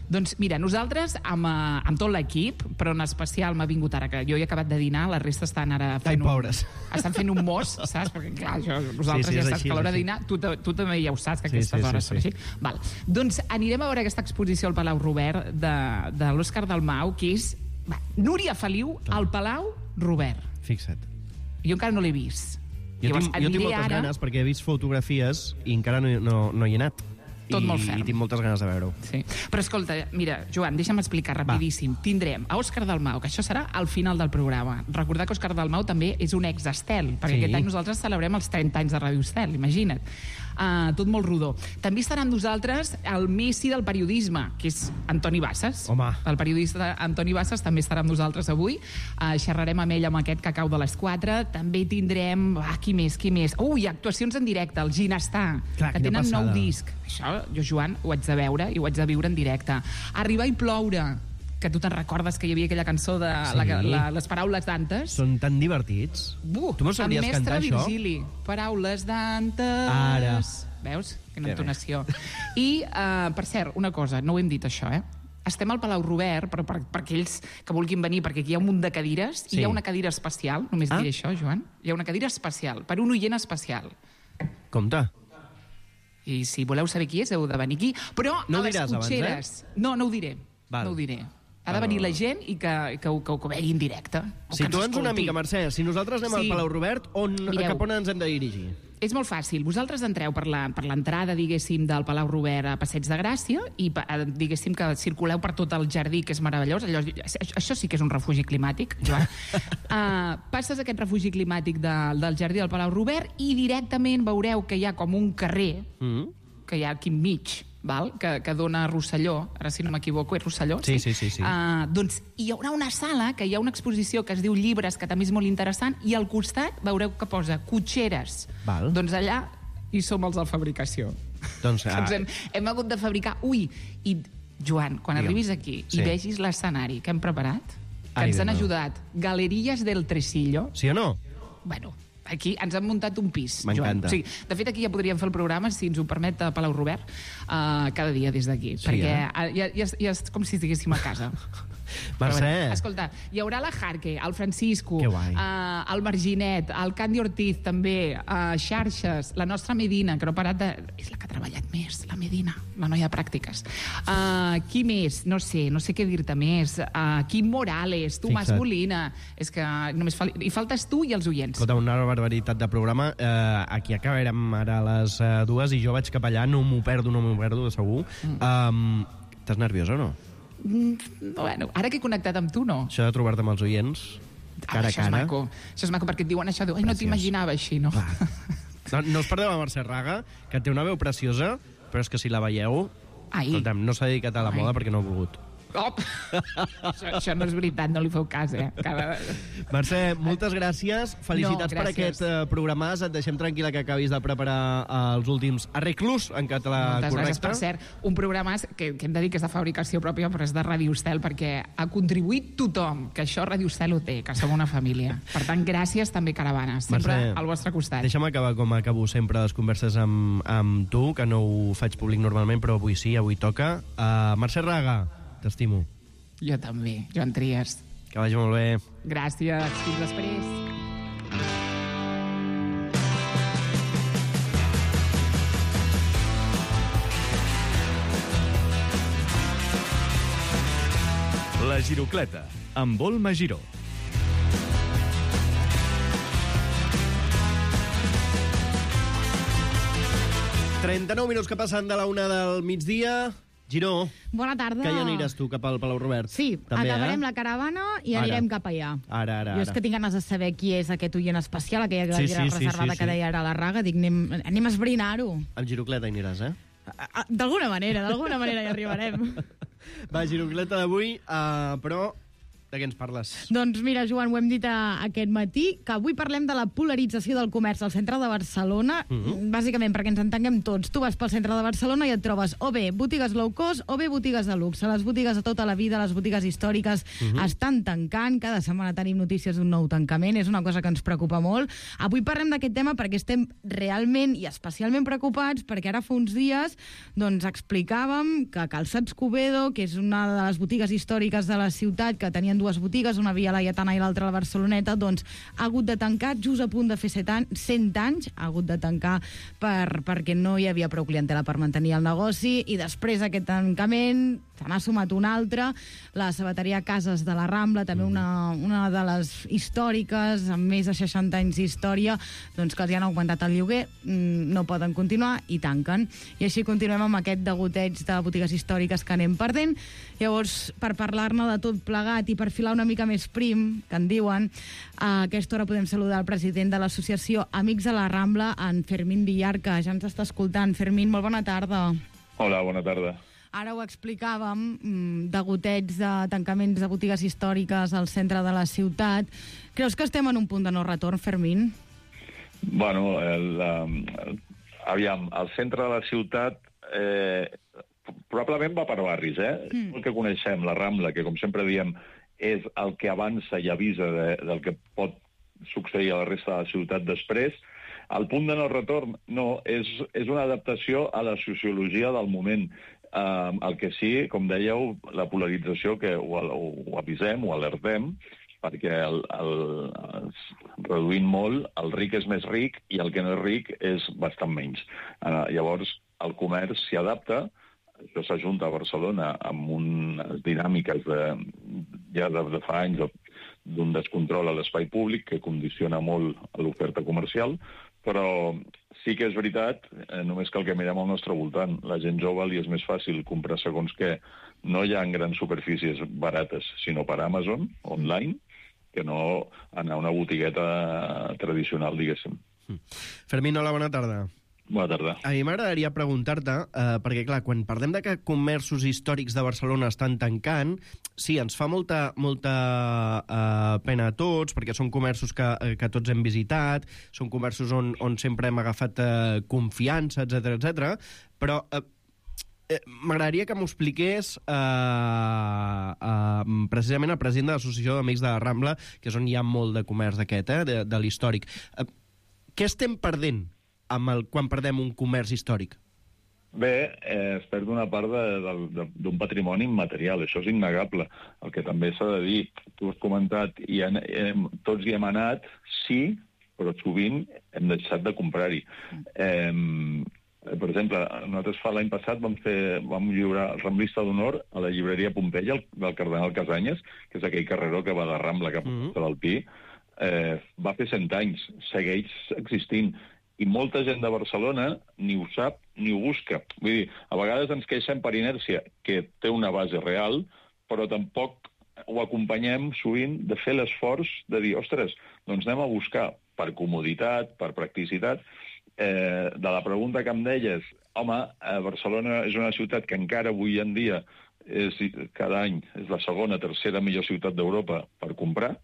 Doncs mira, nosaltres amb tot l'equip, però en especial m'ha vingut ara, que jo he acabat de dinar, la resta estan ara fent pobres. Estan fent un mos, saps? Perquè clar, vosaltres ja saps que a l'hora de dinar, tu també ja ho saps, que aquestes hores són així. Val. Doncs anirem a veure aquesta exposició al Palau Robert de l'Òscar Dalmau, que és Núria Feliu al Palau Robert. Fixa't. Jo encara no l'he vist. Jo tinc moltes ganes, perquè he vist fotografies i encara no hi he anat. Tot molt ferm. I tinc moltes ganes de veure-ho. Sí. Però escolta, mira, Joan, deixa'm explicar rapidíssim. Tindrem a Òscar Dalmau, que això serà al final del programa. Recordar que Òscar Dalmau també és un ex-Estel, perquè aquest any nosaltres celebrem els 30 anys de Ràdio Estel, imagina't. Tot molt rodó. També estarà amb nosaltres el Messi del periodisme, que és Antoni Bassas. Home. El periodista Antoni Bassas també estarà amb nosaltres avui. Xerrarem amb ell amb aquest cacau de les 4. També tindrem... Qui més? Ui, actuacions en directe, el Ginestar, que tenen nou disc. Això, jo, Joan, ho haig de veure i ho haig de viure en directe. Arribar i ploure, que tu te'n recordes que hi havia aquella cançó de les paraules d'Antes. Són tan divertits. Tu m'ho sabries cantar, això? Virgili. Paraules d'Antes. Ara. Veus? Quina entonació. I, per cert, una cosa, no ho hem dit això, Estem al Palau Robert, però per aquells que vulguin venir, perquè aquí hi ha un munt de cadires, i hi ha una cadira especial, només diré això, Joan. Hi ha una cadira especial, per un oient especial. Compte. I si voleu saber qui és, heu de venir aquí. Però no a les cotxeres... No ho diré. No ho diré. Ha de venir la gent i que ho vegi en directe. Situa'ns una mica, Mercè. Si nosaltres anem al Palau Robert, cap on ens hem de dirigir? És molt fàcil. Vosaltres entreu per l'entrada, diguéssim, del Palau Robert a Passeig de Gràcia i, diguéssim, que circuleu per tot el jardí, que és meravellós. Això sí que és un refugi climàtic, Joan. Passes aquest refugi climàtic del jardí del Palau Robert i directament veureu que hi ha com un carrer que hi ha aquí enmig, que dona a Rosselló, ara si no m'equivoco, és Rosselló? Sí. Doncs hi haurà una sala, que hi ha una exposició que es diu Llibres, que també és molt interessant, i al costat veureu que posa cotxeres. Doncs allà hi som els de fabricació. Doncs hem hagut de fabricar... I, Joan, quan arribis aquí i vegis l'escenari que hem preparat, que ens han ajudat Galeries del Tresillo... Sí o no? Bueno... Aquí ens han muntat un pis, Joan. Sí, de fet, aquí ja podríem fer el programa, si ens ho permet, a Palau Robert, cada dia des d'aquí, perquè ja és com si estiguéssim a casa. Mercè. Escolta, hi haurà la Jarque, el Francisco, el Marginet, el Candy Ortiz, també, Xarxes, la nostra Medina, que no ha parat de... És la que ha treballat més, la Medina, la noia de pràctiques. Qui més? No sé què dir-te més. Quim Morales, Tomàs Molina... És que només hi faltes tu i els oients. Escolta, una barbaritat de programa. Aquí acabarem ara a les 2 i jo vaig cap allà, no m'ho perdo, segur. Estàs nerviosa o no? Bueno, ara que he connectat amb tu, no. Això de trobar-te amb els oients, cara a cara. Això és maco, perquè et diuen això, no t'imaginava així, no? No us perdeu a Mercè Raga, que té una veu preciosa, però és que si la veieu... Escolta'm, no s'ha dedicat a la moda perquè no ha volgut. Això no és veritat, no li feu cas, Mercè, moltes gràcies. Felicitats per aquest programàs. Et deixem tranquil·la que acabis de preparar els últims arreglos en català correcte. Moltes gràcies. Per cert, un programàs que hem de dir que és de fabricació pròpia, però és de Ràdio Estel, perquè ha contribuït tothom, que això Ràdio Estel ho té, que som una família. Per tant, gràcies també, Caravana, sempre Mercè, al vostre costat. Deixa'm acabar com acabo sempre les converses amb tu, que no ho faig públic normalment, però avui sí, avui toca. Mercè Raga, t'estimo. Jo també, Joan Trias. Que vagi molt bé. Gràcies, fins després. La Girocleta, amb Volma Giró. ...39 minuts que passen de la 1 del migdia... Giró, bona tarda. Que ja aniràs tu cap al Palau Robert. Sí, també, acabarem la caravana i anirem cap allà. Ara. Jo és que tinc ganes de saber qui és aquest oient especial, aquella cadira reservada que deia ara la Raga. Dic, anem a esbrinar-ho. Amb Girocleta hi aniràs, D'alguna manera hi arribarem. Va, Girocleta d'avui, però De què ens parles? Doncs mira, Joan, ho hem dit aquest matí, que avui parlem de la polarització del comerç al centre de Barcelona, bàsicament perquè ens entenguem tots. Tu vas pel centre de Barcelona i et trobes o bé botigues low cost o bé botigues de luxe. Les botigues de tota la vida, les botigues històriques, estan tancant. Cada setmana tenim notícies d'un nou tancament. És una cosa que ens preocupa molt. Avui parlem d'aquest tema perquè estem realment i especialment preocupats, perquè ara fa uns dies doncs, explicàvem que Calçats Covedo, que és una de les botigues històriques de la ciutat, que tenien dues botigues, una a Via Laietana i l'altra a la Barceloneta, doncs ha hagut de tancar just a punt de fer 100 anys, ha hagut de tancar perquè no hi havia prou clientela per mantenir el negoci, i després d'aquest tancament se n'ha sumat un altre, la sabateria Cases de la Rambla, també una de les històriques, amb més de 60 anys d'història, doncs que els han augmentat el lloguer, no poden continuar i tanquen. I així continuem amb aquest degoteig de botigues històriques que anem perdent. Llavors, per parlar-ne de tot plegat i per filar una mica més prim, que en diuen, a aquesta hora podem saludar el president de l'associació Amics de la Rambla, en Fermín Villar, que ja ens està escoltant. Fermín, molt bona tarda. Hola, bona tarda. Ara ho explicàvem, degoteig de tancaments de botigues històriques al centre de la ciutat. Creus que estem en un punt de no retorn, Fermín? Bueno, aviam, el centre de la ciutat probablement va per barris, El que coneixem, la Rambla, que com sempre diem és el que avança i avisa del que pot succeir a la resta de la ciutat després. El punt de no retorn no, és una adaptació a la sociologia del moment. El que sí, com dèieu, la polarització, que ho avisem, ho alertem, perquè reduint molt, el ric és més ric i el que no és ric és bastant menys. Llavors, el comerç s'hi adapta, això s'ajunta a Barcelona amb unes dinàmiques ja de fa anys d'un descontrol a l'espai públic que condiciona molt l'oferta comercial, però sí que és veritat, només cal que mirem al nostre voltant. La gent jove li és més fàcil comprar segons què, no ja en grans superfícies barates, sinó per Amazon, online, que no anar a una botigueta tradicional, diguéssim. Fermín, hola, bona tarda. Bona tarda. A mi m'agradaria preguntar-te, perquè, clar, quan parlem de que comerços històrics de Barcelona estan tancant, sí, ens fa molta pena a tots, perquè són comerços que tots hem visitat, són comerços on sempre hem agafat confiança, etc. Però m'agradaria que m'ho expliqués precisament el president de l'Associació d'Amics de la Rambla, que és on hi ha molt de comerç d'aquest, de l'històric. Què estem perdent quan perdem un comerç històric? Bé, es perd una part d'un patrimoni immaterial, això és innegable. El que també s'ha de dir, tu has comentat, tots hi hem anat, sí, però sovint hem deixat de comprar-hi. Per exemple, nosaltres l'any passat vam lliurar el Ramblista d'Honor a la llibreria Pompeia, del Cardenal Casanyes, que és aquell carreró que va de Rambla cap a l'Alpí. Va fer 100 anys, segueix existint. I molta gent de Barcelona ni ho sap ni ho busca. Vull dir, a vegades ens queixem per inèrcia, que té una base real, però tampoc ho acompanyem sovint de fer l'esforç de dir, ostres, doncs anem a buscar per comoditat, per practicitat. De la pregunta que em deies, home, Barcelona és una ciutat que encara avui en dia cada any és la segona, tercera millor ciutat d'Europa per comprar,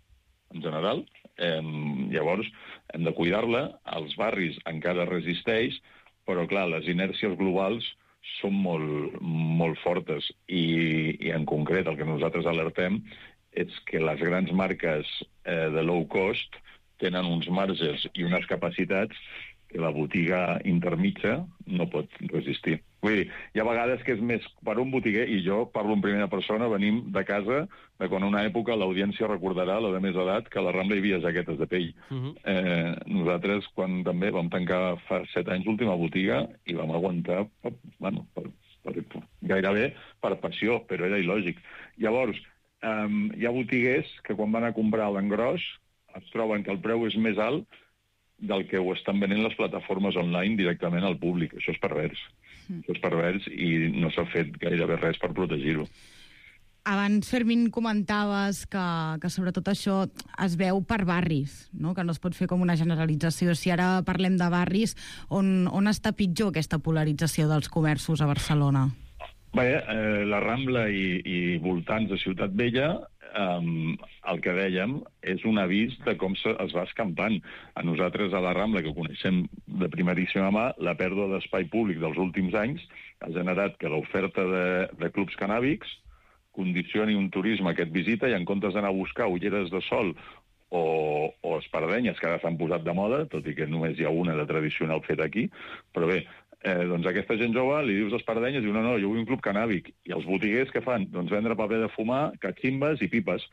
en general. Llavors, hem de cuidar-la, els barris encara resisteix, però clar, les inèrcies globals són molt fortes i en concret el que nosaltres alertem és que les grans marques de low cost tenen uns marges i unes capacitats que la botiga intermitja no pot resistir. Vull dir, hi ha vegades que és més per un botiguer, i jo parlo en primera persona, venim de casa, de quan una època l'audiència recordarà, la de més edat, que a la Rambla hi havia jaquetes de pell. Nosaltres, quan també vam tancar fa 7 anys l'última botiga, i vam aguantar, gairebé per passió, però era il·lògic. Llavors, hi ha botiguers que quan van a comprar a l'engròs es troben que el preu és més alt del que ho estan venent les plataformes online directament al públic. Això és pervers. Això és pervers i no s'ha fet gairebé res per protegir-ho. Abans, Fermín, comentaves que sobretot això es veu per barris, no? Que no es pot fer com una generalització. Si ara parlem de barris, on està pitjor aquesta polarització dels comerços a Barcelona? Bé, la Rambla i voltants de Ciutat Vella, el que dèiem és un avís de com es va escampant. A nosaltres, a la Rambla, que ho coneixem de primeríssima mà, la pèrdua d'espai públic dels últims anys ha generat que l'oferta de clubs canàbics condicioni un turisme que et visita i en comptes d'anar a buscar ulleres de sol o espardenyes, que ara s'han posat de moda, tot i que només hi ha una de tradicional feta aquí, però bé, doncs aquesta gent jove li dius espardenyes i diu, no, jo vull un club canàbic. I els botiguers què fan? Doncs vendre paper de fumar, cachimbes i pipes.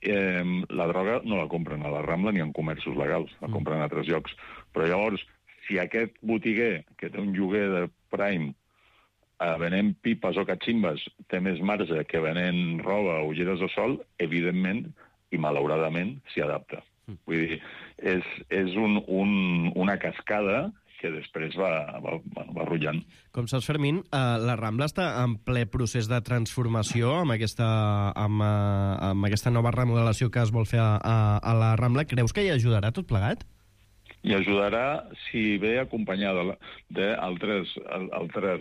La droga no la compren a la Rambla ni en comerços legals, la compren a altres llocs. Però llavors, si aquest botiguer, que té un lloguer de Prime, venent pipes o cachimbes, té més marge que venent roba o ulleres de sol, evidentment, i malauradament, s'hi adapta. Vull dir, és una cascada que després va rotllant. Com saps, Fermín, la Rambla està en ple procés de transformació amb aquesta nova remodelació que es vol fer a la Rambla. Creus que hi ajudarà tot plegat? I ajudarà si ve acompanyada d'altres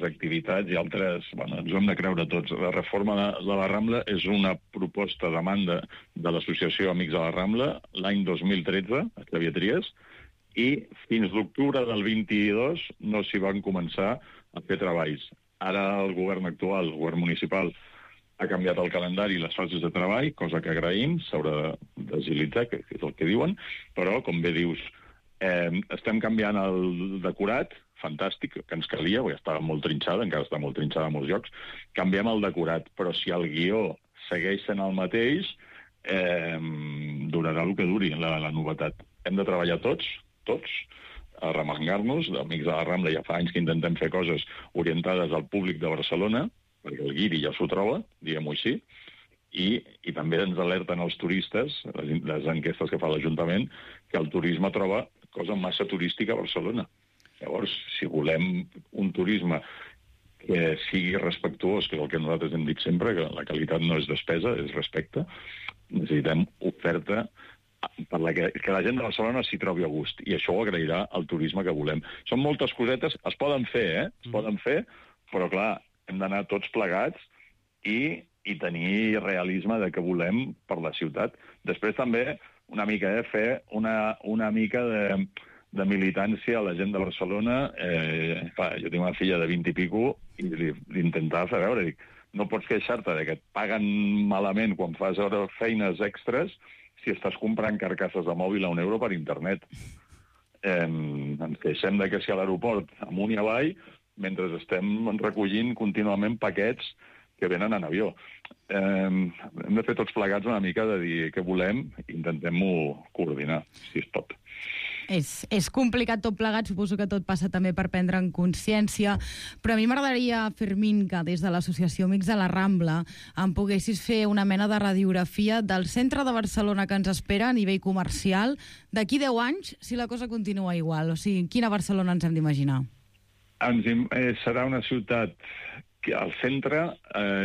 activitats i altres... Bueno, ens ho hem de creure tots. La reforma de la Rambla és una proposta de demanda de l'Associació Amics de la Rambla l'any 2013, a Xavier Trias, i fins l'octubre del 22 no s'hi van començar a fer treballs. Ara el govern actual, el govern municipal, ha canviat el calendari i les fases de treball, cosa que agraïm, s'haurà d'agilitzar, que és el que diuen, però, com bé dius, estem canviant el decorat, fantàstic, que ens calia, perquè estava molt trinxada, encara està molt trinxada en molts llocs, canviem el decorat, però si el guió segueix sent el mateix, durarà el que duri, la novetat. Hem de treballar tots, a remengar-nos. Amics de la Rambla ja fa anys que intentem fer coses orientades al públic de Barcelona, perquè el guiri ja s'ho troba, diguem-ho així, i també ens alerten els turistes, les enquestes que fa l'Ajuntament, que el turisme troba cosa massa turística a Barcelona. Llavors, si volem un turisme que sigui respectuós, que és el que nosaltres hem dit sempre, que la qualitat no és despesa, és respecte, necessitem oferta que la gent de Barcelona s'hi trobi a gust, i això ho agrairà el turisme que volem. Són moltes cosetes, es poden fer, es poden fer, però clar, hem d'anar tots plegats i tenir realisme de què volem per la ciutat. Després també una mica, fer una mica de militància a la gent de Barcelona. Jo tinc una filla de 20 i pico i l'intentar fer veure, dic, no pots queixar-te de que et paguen malament quan fas feines extres si estàs comprant carcasses de mòbil a €1 per internet. Ens queixem de que si a l'aeroport amunt i avall, mentre estem recollint contínuament paquets que venen en avió. Hem de fer tots plegats una mica de dir què volem i intentem-ho coordinar, si es pot. És complicat tot plegat, suposo que tot passa també per prendre en consciència, però a mi m'agradaria, Fermín, que des de l'Associació Amics de la Rambla em poguessis fer una mena de radiografia del centre de Barcelona que ens espera a nivell comercial d'aquí 10 anys, si la cosa continua igual. O sigui, quina Barcelona ens hem d'imaginar? Serà una ciutat que al centre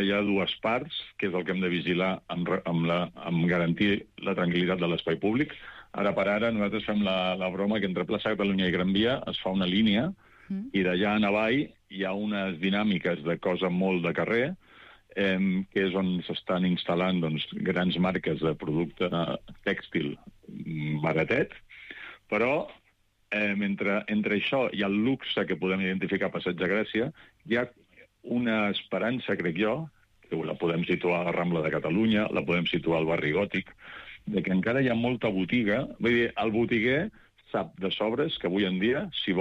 hi ha dues parts, que és el que hem de vigilar amb garantir la tranquil·litat de l'espai públic. Ara per ara nosaltres fem la broma que entre plaça Catalunya i Gran Via es fa una línia i d'allà en avall hi ha unes dinàmiques de cosa molt de carrer, que és on s'estan instal·lant grans marques de producte tèxtil baratet, però entre això i el luxe que podem identificar a Passeig de Gràcia, hi ha una esperança, crec jo, que la podem situar a la Rambla de Catalunya, la podem situar al barri Gòtic, de que encara hi ha molta botiga. Vull dir, el botiguer sap de sobres que avui en dia, si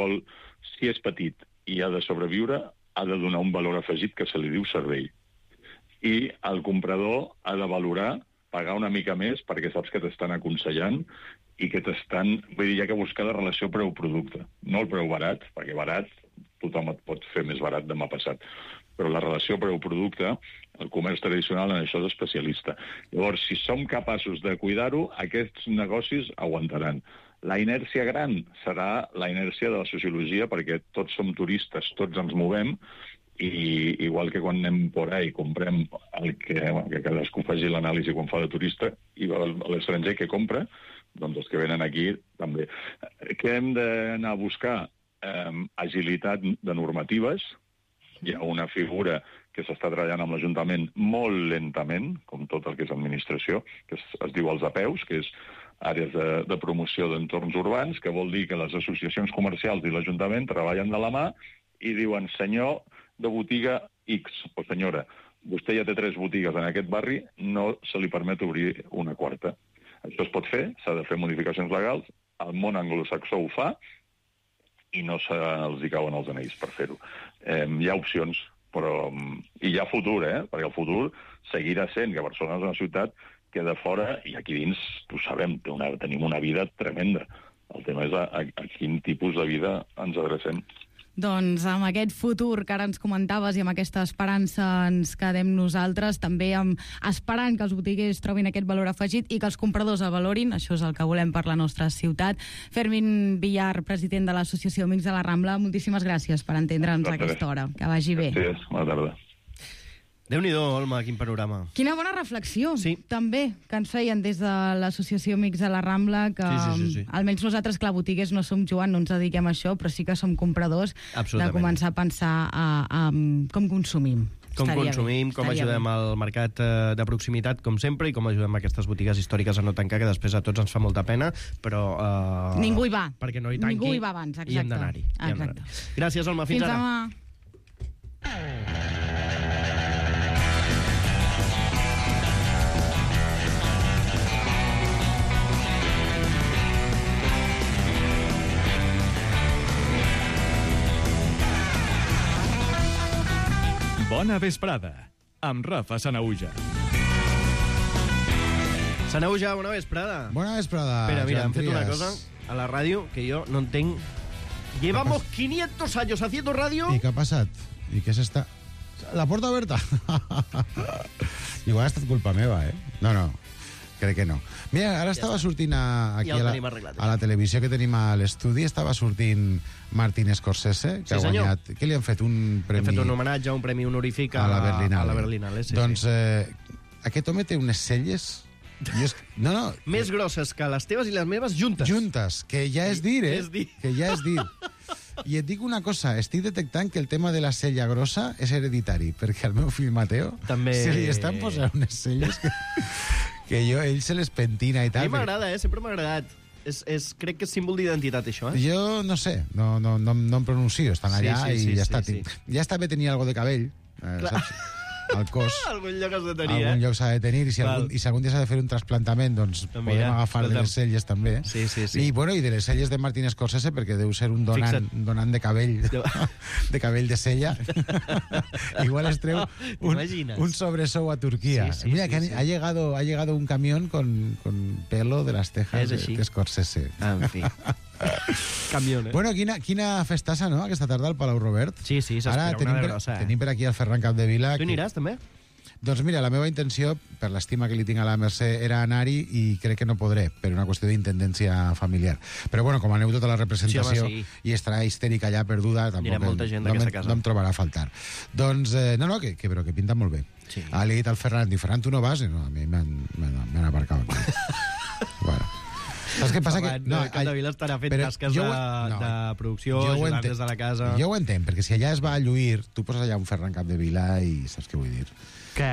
és petit i ha de sobreviure, ha de donar un valor afegit que se li diu servei. I el comprador ha de valorar, pagar una mica més, perquè saps que t'estan aconsellant i que t'estan... Vull dir, hi ha que buscar la relació preu-producte. No el preu barat, perquè barat tothom et pot fer més barat demà passat. Però la relació preu-producte, el comerç tradicional en això és especialista. Llavors, si som capaços de cuidar-ho, aquests negocis aguantaran. La inèrcia gran serà la inèrcia de la sociologia, perquè tots som turistes, tots ens movem, i igual que quan anem por ahí i comprem el que cadascú faci l'anàlisi quan fa de turista, i l'estranger que compra, doncs els que venen aquí també. Què hem d'anar a buscar? Agilitat de normatives, Hi ha una figura que s'està treballant amb l'Ajuntament molt lentament, com tot el que és administració, que es diu els APEUs, que és àrees de promoció d'entorns urbans, que vol dir que les associacions comercials i l'Ajuntament treballen de la mà i diuen, senyor de botiga X, o senyora, vostè ja té 3 botigues en aquest barri, no se li permet obrir una quarta. Això es pot fer, s'ha de fer modificacions legals, el món anglosaxó ho fa, i no se'ls cauen els anells per fer-ho. Hi ha opcions, però i hi ha futur, perquè el futur seguirà sent que Barcelona és una ciutat que de fora, i aquí dins, ho sabem, tenim una vida tremenda. El tema és a quin tipus de vida ens adrecem. Doncs amb aquest futur que ara ens comentaves i amb aquesta esperança ens quedem nosaltres, també esperant que els botiguers trobin aquest valor afegit i que els compradors el valorin, això és el que volem per la nostra ciutat. Fermín Villar, president de l'Associació Amics de la Rambla, moltíssimes gràcies per entendre'ns a aquesta hora. Que vagi bé. Gràcies, bona tarda. Déu-n'hi-do, Olma, quin panorama. Quina bona reflexió, també, que ens feien des de l'Associació Amics de la Rambla, que sí. almenys nosaltres, clar, botiguers no som, Joan, no ens dediquem a això, però sí que som compradors de començar a pensar com consumim. Com consumim, com ajudem al mercat de proximitat, com sempre, i com ajudem aquestes botigues històriques a no tancar, que després a tots ens fa molta pena, però... Ningú hi va. Perquè no hi tanqui. Ningú hi va abans, exacte. I hem d'anar-hi. Gràcies, Olma. Fins ara. Demà. Bona vesprada, amb Rafa Sanauja. Sanauja, bona vesprada. Bona vesprada. Espera, mira, hem fet una cosa a la ràdio que jo no entenc. Llevamos 500 años haciendo radio. ¿Y qué ha pasado? ¿Y qué es esta? La puerta abierta. Igual ha estat culpa meva, No, crec que no. Mira, ara estava sortint aquí a la televisió que tenim a l'estudi, estava sortint Martin Scorsese, que ha guanyat... Què li han fet? Un premi... Hem fet un homenatge, un premi honorífic a la Berlinale. Doncs aquest home té unes celles... No. Més grosses que les teves i les meves juntes. Juntes, que ja és dir, Que ja és dir. I et dic una cosa, estic detectant que el tema de la cella grossa és hereditari, perquè al meu fill Mateo també... se li estan posant unes celles que ell se les pentina i tal. A mi m'agrada, sempre m'ha agradat. Crec que és símbol d'identitat, això, Jo no sé, no em pronuncio, estan allà i ja està. Ja està bé tenir algo de cabell, saps? Al cos. Algun lloc has de tenir, Algun lloc s'ha de tenir, i si algun dia s'ha de fer un trasplantament, doncs podem agafar de les celles també. Sí. I de les celles de Martin Scorsese, perquè deu ser un donant de cabell, de cabell de cella. Igual es treu un sobresou a Turquia. Mira, que ha llegado un camión con pelo de las tejas de Scorsese. En fi. Camión, Bueno, quina festassa, no?, aquesta tarda al Palau Robert. Sí, s'espera una de grossa, Tenim per aquí el Ferran Capdevila. Tu aniràs, també? Doncs mira, la meva intenció, per l'estima que li tinc a la Mercè, era anar-hi i crec que no podré, per una qüestió d'intendència familiar. Però bueno, com aneu tota la representació i estarà histèrica allà perduda, tampoc no em trobarà a faltar. Doncs, però que pinta molt bé. Li he dit al Ferran, Ferran, tu no vas? I no, a mi m'han aparcat. Bueno. Saps què passa? Capdevila estarà fent tasques de producció, ajudant des de la casa... Jo ho entenc, perquè si allà es va a lluir, tu poses allà un Ferran Capdevila i saps què vull dir? Què?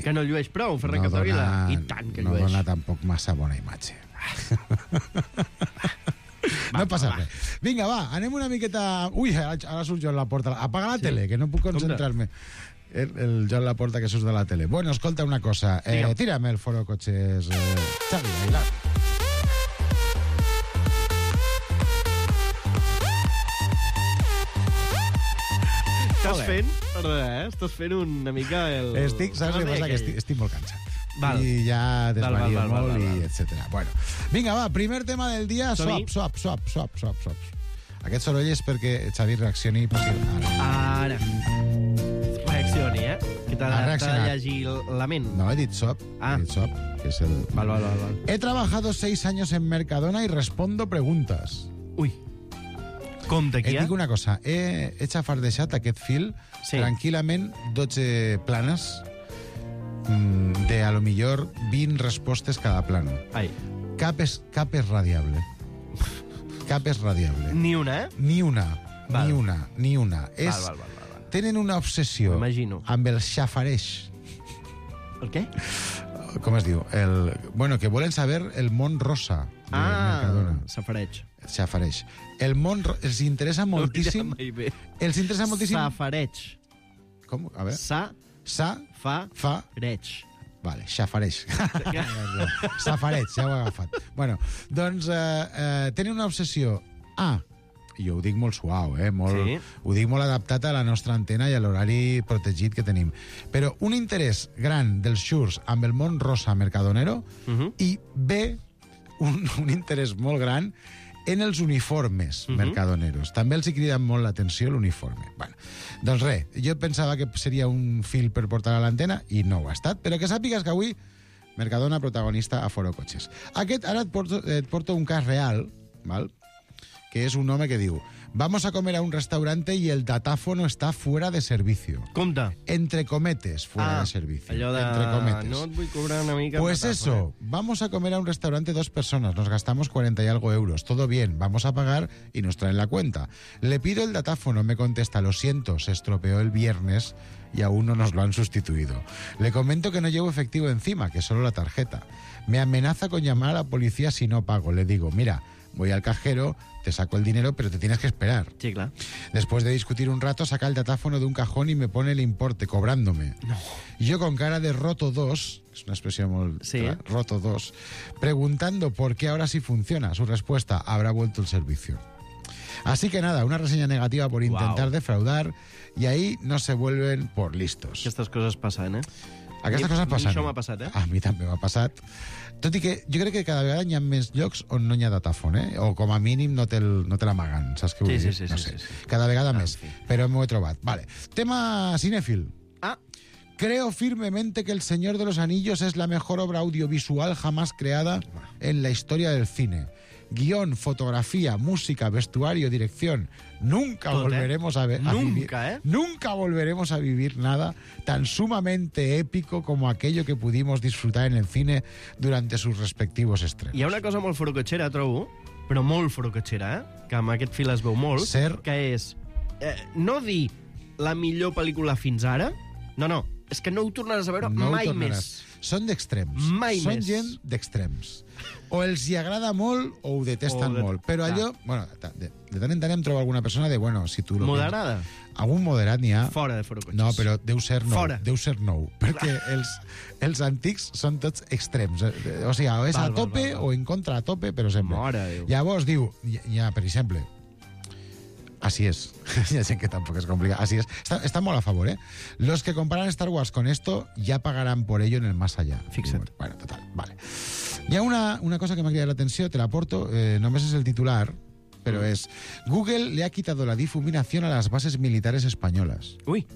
Que no llueix prou, Ferran Capdevila? I tant que llueix. No dona tampoc massa bona imatge. No passa res. Vinga, va, anem una miqueta... Ui, ara surt Joan Laporta. Apaga la tele, que no puc concentrar-me. El Joan Laporta que surt de la tele. Bueno, escolta una cosa. Tírame el foro cotxes, Xavi, bailar. Estàs fent una mica el... Saps què passa? Que estic molt cansat. I ja desvario molt i etcètera. Bueno, vinga, va, primer tema del dia, swap. Aquest soroll és perquè Xavi reaccioni. Ara. Reaccioni, Que t'ha de llegir la ment. No, he dit swap. He dit swap, que és el... Val. He trabajado 6 años en Mercadona y respondo preguntas. Ui. Compte aquí, Et dic una cosa, he xafardejat aquest fil tranquil·lament 12 planes de, a lo millor, 20 respostes cada plano. Cap és radiable. Cap és radiable. Ni una, Ni una. Val. Ni una. És tenen una obsessió amb el xafareix. El què? Com es diu? Bueno, que volen saber el món rosa de Mercadona. Xafareix. El món els interessa moltíssim... Els interessa moltíssim... Safareig. Com? A veure. Fa-reig. Vale, xafareix. Safareig, ja ho he agafat. Bueno, doncs tenen una obsessió... jo ho dic molt suau, ho dic molt adaptat a la nostra antena i a l'horari protegit que tenim. Però un interès gran dels xurs amb el món rosa mercadonero i B, un interès molt gran en els uniformes mercadoneros. També els hi crida molt l'atenció l'uniforme. Bueno, doncs res, jo pensava que seria un fil per portar a l'antena i no ho ha estat, però que sàpigues que avui Mercadona protagonista a Foro Cotxes. Ara et porto un cas real, val? Que es un home que diu: vamos a comer a un restaurante y el datáfono está fuera de servicio. Compte. Entre cometes, fuera de servicio. Allò de... Entre cometes. No et vull cobrar una mica... Pues eso, vamos a comer a un restaurante 2 personas, nos gastamos 40 y algo euros, todo bien, vamos a pagar y nos traen la cuenta. Le pido el datáfono, me contesta: lo siento, se estropeó el viernes y aún no nos lo han sustituido. Le comento que no llevo efectivo encima, que solo la tarjeta. Me amenaza con llamar a la policía si no pago. Le digo: mira, voy al cajero, te saco el dinero, pero te tienes que esperar. Sí, claro. Después de discutir un rato, saca el datáfono de un cajón y me pone el importe, cobrándome. No. Y yo con cara de roto 2, es una expresión muy... Sí. Roto 2, preguntando por qué ahora sí funciona. Su respuesta: habrá vuelto el servicio. Así que nada, una reseña negativa por intentar defraudar, y ahí no se vuelven por listos. Aquestes coses passen, Aquestes coses passen. Això m'ha passat, A mi també m'ha passat. Tot i que jo crec que cada vegada hi ha més llocs on no hi ha datàfon, o com a mínim no te l'amaguen, saps què vull dir? Sí. No sé. Cada vegada més, però m'ho he trobat. Vale. Tema cinéfil. Creo firmemente que El Señor de los Anillos es la mejor obra audiovisual jamás creada en la historia del cine. Guión, fotografía, música, vestuario, dirección. Nunca volveremos a vivir. Nunca volveremos a vivir nada tan sumamente épico como aquello que pudimos disfrutar en el cine durante sus respectivos estrenos. Hi ha una cosa molt forocotxera, trobo, però molt forocotxera, que amb aquest fil es veu molt, que és no dir la millor pel·lícula fins ara, no, és que no ho tornaràs a veure mai més. Són d'extrems. Mai Són més. gent d'extrems. O els hi agrada molt o ho detesten molt. Però allò... Bueno, de tant en tant em trobo alguna persona de... Bueno, si tu... Moderada? Algun moderat n'hi ha. Fora de Forocotxes. No, però deu ser nou. Fora. Deu ser nou. Perquè els antics són tots extrems. O sigui, o és a tope o en contra a tope, però sempre. Mare Déu. Llavors diu... Ja, per exemple... Así es. Ya sé que tampoco es complicado. Así es. Está muy a favor, ¿eh? Los que comparan Star Wars con esto ya pagarán por ello en el más allá. Fixa't. Bueno, total, vale. Hi ha una cosa que m'ha cridat l'atenció, te la porto, només és el titular, pero es: Google le ha quitado la difuminación a las bases militares españolas. Uy.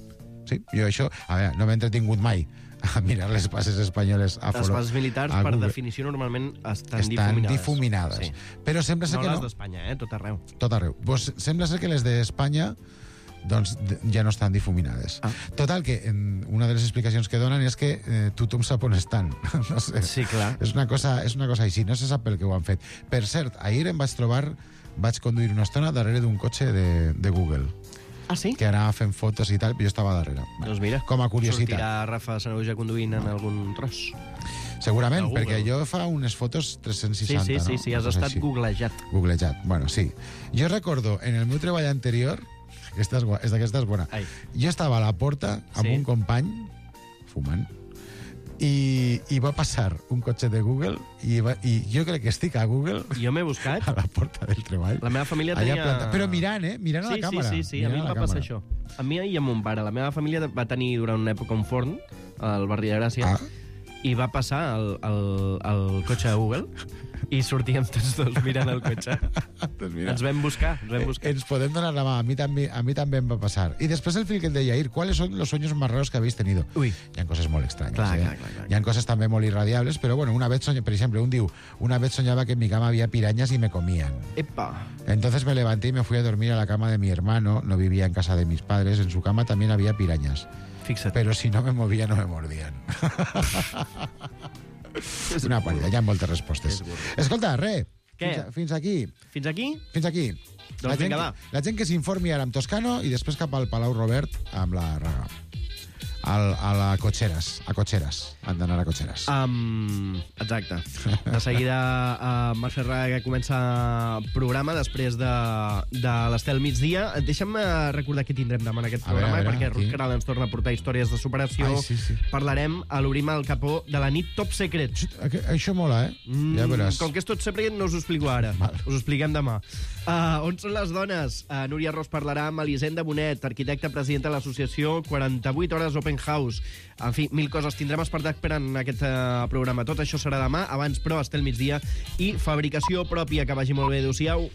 Sí, jo això... A veure, no m'he entretingut mai a mirar les bases espanyoles a Les bases militars, per definició, normalment estan difuminades. Sí. Però sembla ser que no. No les d'Espanya, tot arreu. Tot arreu. Pues sembla ser que les d'Espanya doncs ja no estan difuminades. Total, que una de les explicacions que donen és que tothom sap on estan. No sé. Sí, clar. És una cosa així, no se sap per què ho han fet. Per cert, ahir vaig conduir una estona darrere d'un cotxe de Google. Ah, sí? Que anava fent fotos i tal, però jo estava darrere. Doncs mira, com a curiositat. Sortirà Rafa Sanahuja conduint en algun tros. Segurament, perquè jo fa unes fotos 360, no? Sí, has estat googlejat. Googlejat, bueno, sí. Jo recordo, en el meu treball anterior, aquesta és bona, jo estava a la porta amb un company, fumant, i va passar un cotxe de Google i jo crec que estic a Google. Jo m'he buscat a la porta del treball. La meva família tenia... Però mirant, mirant a la càmera. Sí, a mi em va passar això. A mi i a mon pare. La meva família va tenir durant una època un forn al barri de Gràcia i va passar el cotxe de Google i sortíem tots dos mirant el cotxe. Doncs mira, ens vam buscar. Ens podem donar la mà. A mi també em va passar. I després el fil que et deia ahir, ¿cuáles son los sueños más raros que habéis tenido? Uy. Hi ha coses molt estranyes. Clar. Hi ha coses també molt irradiables, però bueno, una vez soñaba, por ejemplo, una vez soñaba que en mi cama había pirañas y me comían. Epa. Entonces me levanté y me fui a dormir a la cama de mi hermano. No vivía en casa de mis padres. En su cama también había pirañas. Fixa't. Pero si no me movía, no me mordían. Una pàl·lida, hi ha moltes respostes. Escolta, res, Què? Fins aquí. Fins aquí? Fins aquí. Doncs vinga, va. La gent que s'informi ara amb Toscano i després cap al Palau Robert amb la Raga. A Cotxeres. Han d'anar a Cotxeres. Exacte. De seguida Mercè Raga comença programa després de l'Estel migdia. Deixa'm recordar què tindrem demà en aquest programa, perquè Ruth Caral ens torna a portar històries de superació. Sí. Parlarem a l'Obrim al Capó de la nit Top Secret. Això mola, Ja veuràs. Com que és tot secret, no us ho explico ara. Us ho expliquem demà. On són les dones? Núria Ros parlarà amb Elisenda Bonet, arquitecta presidenta de l'associació 48 Hores Open House. En fi, 1000 coses tindrem espectacle en aquest programa. Tot això serà demà, abans però Estel migdia i fabricació pròpia. Que vagi molt bé. Adéu-siau.